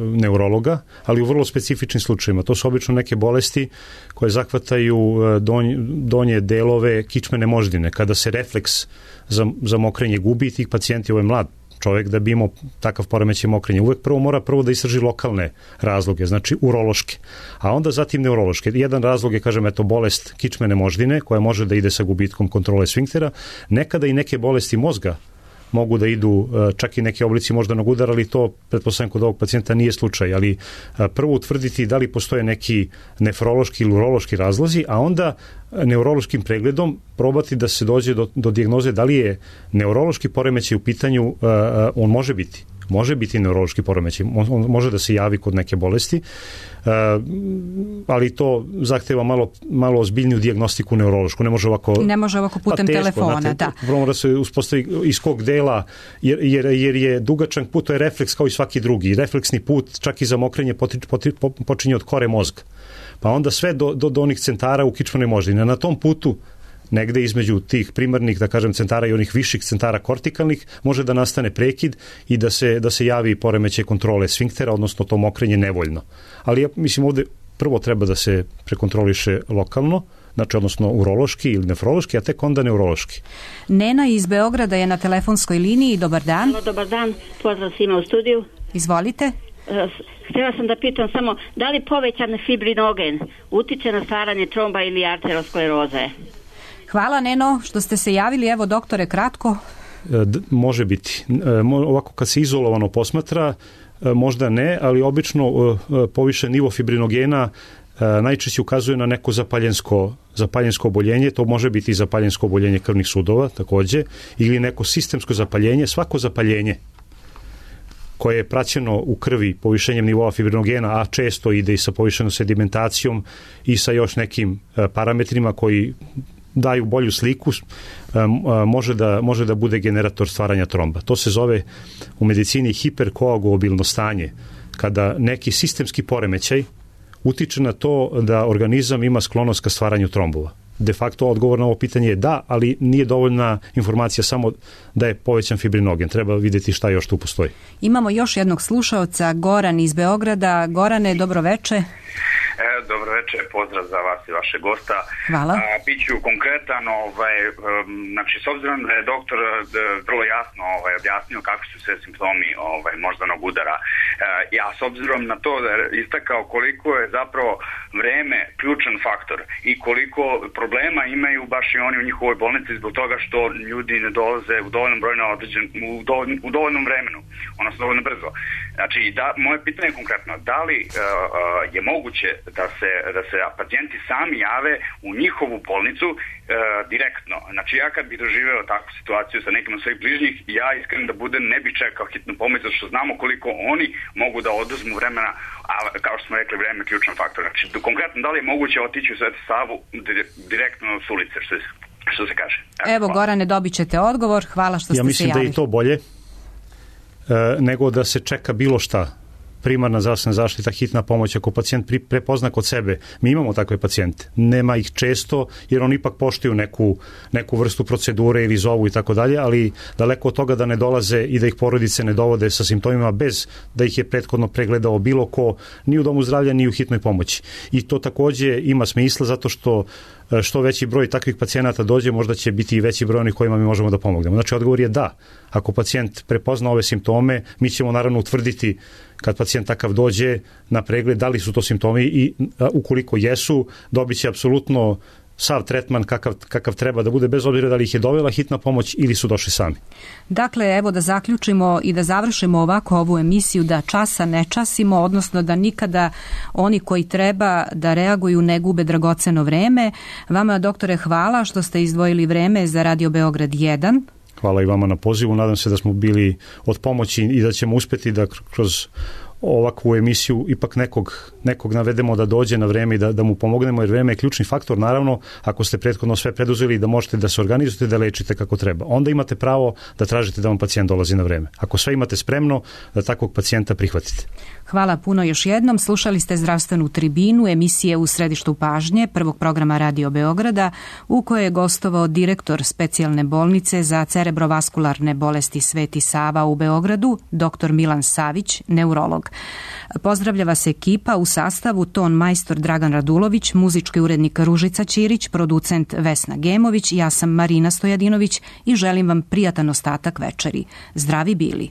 neurologa, ali u vrlo specifičnim slučajima. To su obično neke bolesti koje zahvataju donje, donje delove kičmene moždine. Kada se refleks za, za mokrenje gubi, tih pacijenti, ovo je mlad čovjek, da bi imao takav poremećaj mokrenja. Uvek prvo mora prvo da istraži lokalne razloge, znači urološke, a onda zatim neurološke. Jedan razlog je, kažem, eto, bolest kičmene moždine, koja može da ide sa gubitkom kontrole sfinktera. Nekada i neke bolesti mozga mogu da idu, čak i neke oblici moždanog udara, ali to, pretpostavljam, kod ovog pacijenta nije slučaj, ali prvo utvrditi da li postoje neki nefrološki ili urološki razlozi, a onda neurološkim pregledom probati da se dođe do, do dijagnoze da li je neurološki poremećaj u pitanju, on može biti. Može biti neurološki poremećaj, on može da se javi kod neke bolesti, ali to zahteva malo, malo ozbiljniju dijagnostiku neurološku. Ne može ovako, ne može ovako putem pa teško, telefona. Znate, da. Prvo mora se uspostavi iz kog dela, jer, jer, jer je dugačan put, to je refleks kao i svaki drugi. Refleksni put, čak i za mokrenje, počinje od kore mozga. Pa onda sve do, do, do onih centara u kičmenoj moždini. Na tom putu, negde između tih primarnih, da kažem, centara i onih viših centara kortikalnih, može da nastane prekid i da se, da se javi poremećaj kontrole sfinktera, odnosno to mokrenje nevoljno. Ali ja mislim ovde prvo treba da se prekontroliše lokalno, znači odnosno urološki ili nefrološki, a tek onda neurološki. Nena iz Beograda je na telefonskoj liniji. Dobar dan. Halo, dobar dan. Pozdrav svima u studiju. Izvolite. Htjela sam da pitam samo, da li povećan fibrinogen utiče na stvaranje tromba ili arteroskleroze? Hvala, Neno, što ste se javili. Evo, doktore, kratko. D- može biti. E, ovako, kad se izolovano posmatra, e, možda ne, ali obično e, povišen nivo fibrinogena e, najčešće ukazuje na neko zapaljensko, zapaljensko oboljenje. To može biti i zapaljensko oboljenje krvnih sudova, takođe, ili neko sistemsko zapaljenje. Svako zapaljenje koje je praćeno u krvi povišenjem nivoa fibrinogena, a često ide i sa povišenom sedimentacijom i sa još nekim e, parametrima koji daju bolju sliku, može da, može da bude generator stvaranja tromba. To se zove u medicini hiperkoagulabilno stanje, kada neki sistemski poremećaj utiče na to da organizam ima sklonost ka stvaranju trombova. De facto odgovor na ovo pitanje je da, ali nije dovoljna informacija samo da je povećan fibrinogen. Treba vidjeti šta još tu postoji. Imamo još jednog slušaoca, Goran iz Beograda. Gorane, dobroveče. E, dobro večer, pozdrav za vas i vaše gosta. Hvala. A, biću konkretan, ovaj, um, znači, s obzirom da je doktor d, vrlo jasno ovaj, objasnio kakvi su sve simptomi ovaj, moždanog udara, e, ja s obzirom na to da je istakao koliko je zapravo vreme ključan faktor i koliko problema imaju baš i oni u njihovoj bolnici zbog toga što ljudi ne dolaze u dovoljnom broju na određen, u, dovoljn, u dovoljnom vremenu, odnosno dovoljno brzo. Znači, da, moje pitanje je konkretno, da li uh, uh, je moguće da se, da se pacijenti sami jave u njihovu bolnicu uh, direktno. Znači, ja kad bih doživeo takvu situaciju sa nekim od svojih bližnjih, ja iskren da budem ne bih čekao hitnu pomoć, zato što znamo koliko oni mogu da oduzmu vremena, a kao što smo rekli, vreme je ključan faktor. Znači, konkretno, da li je moguće otići u Sveti Savu direktno s ulice, što se, što se kaže? Evo, Evo Gorane, dobit ćete odgovor. Hvala što ste se javili. Ja mislim da je i to bolje e, nego da se čeka bilo šta. Primarna zdravstvena zaštita, hitna pomoć, ako pacijent prepozna kod sebe. Mi imamo takve pacijente. Nema ih često, jer oni ipak poštuju neku, neku vrstu procedure ili zovu i tako dalje, ali daleko od toga da ne dolaze i da ih porodice ne dovode sa simptomima bez da ih je prethodno pregledao bilo ko, ni u domu zdravlja, ni u hitnoj pomoći. I to takođe ima smisla zato što što veći broj takvih pacijenata dođe, možda će biti i veći broj onih kojima mi možemo da pomognemo. Znači, odgovor je da. Ako pacijent prepozna ove simptome, mi ćemo naravno utvrditi kad pacijent takav dođe na pregled da li su to simptomi i ukoliko jesu, dobit će apsolutno sav tretman kakav, kakav treba da bude, bez obzira da li ih je dovela hitna pomoć ili su došli sami. Dakle, evo da zaključimo i da završimo ovako ovu emisiju, da časa ne časimo, odnosno da nikada oni koji treba da reaguju ne gube dragoceno vreme. Vama, doktore, hvala što ste izdvojili vreme za Radio Beograd jedan. Hvala i vama na pozivu. Nadam se da smo bili od pomoći i da ćemo uspeti da kroz ovakvu emisiju ipak nekog, nekog navedemo da dođe na vreme i da, da mu pomognemo, jer vreme je ključni faktor. Naravno, ako ste prethodno sve preduzeli da možete da se organizujete, da lečite kako treba, onda imate pravo da tražite da vam pacijent dolazi na vreme. Ako sve imate spremno, da takvog pacijenta prihvatite. Hvala puno još jednom. Slušali ste Zdravstvenu tribinu, emisije U središtu pažnje prvog programa Radio Beograda, u kojoj je gostovao direktor specijalne bolnice za cerebrovaskularne bolesti Sveti Sava u Beogradu, doktor Milan Savić, neurolog. Pozdravlja vas ekipa u sastavu ton majstor Dragan Radulović, muzički urednik Ružica Ćirić, producent Vesna Gemović, ja sam Marina Stojadinović i želim vam prijatan ostatak večeri. Zdravi bili!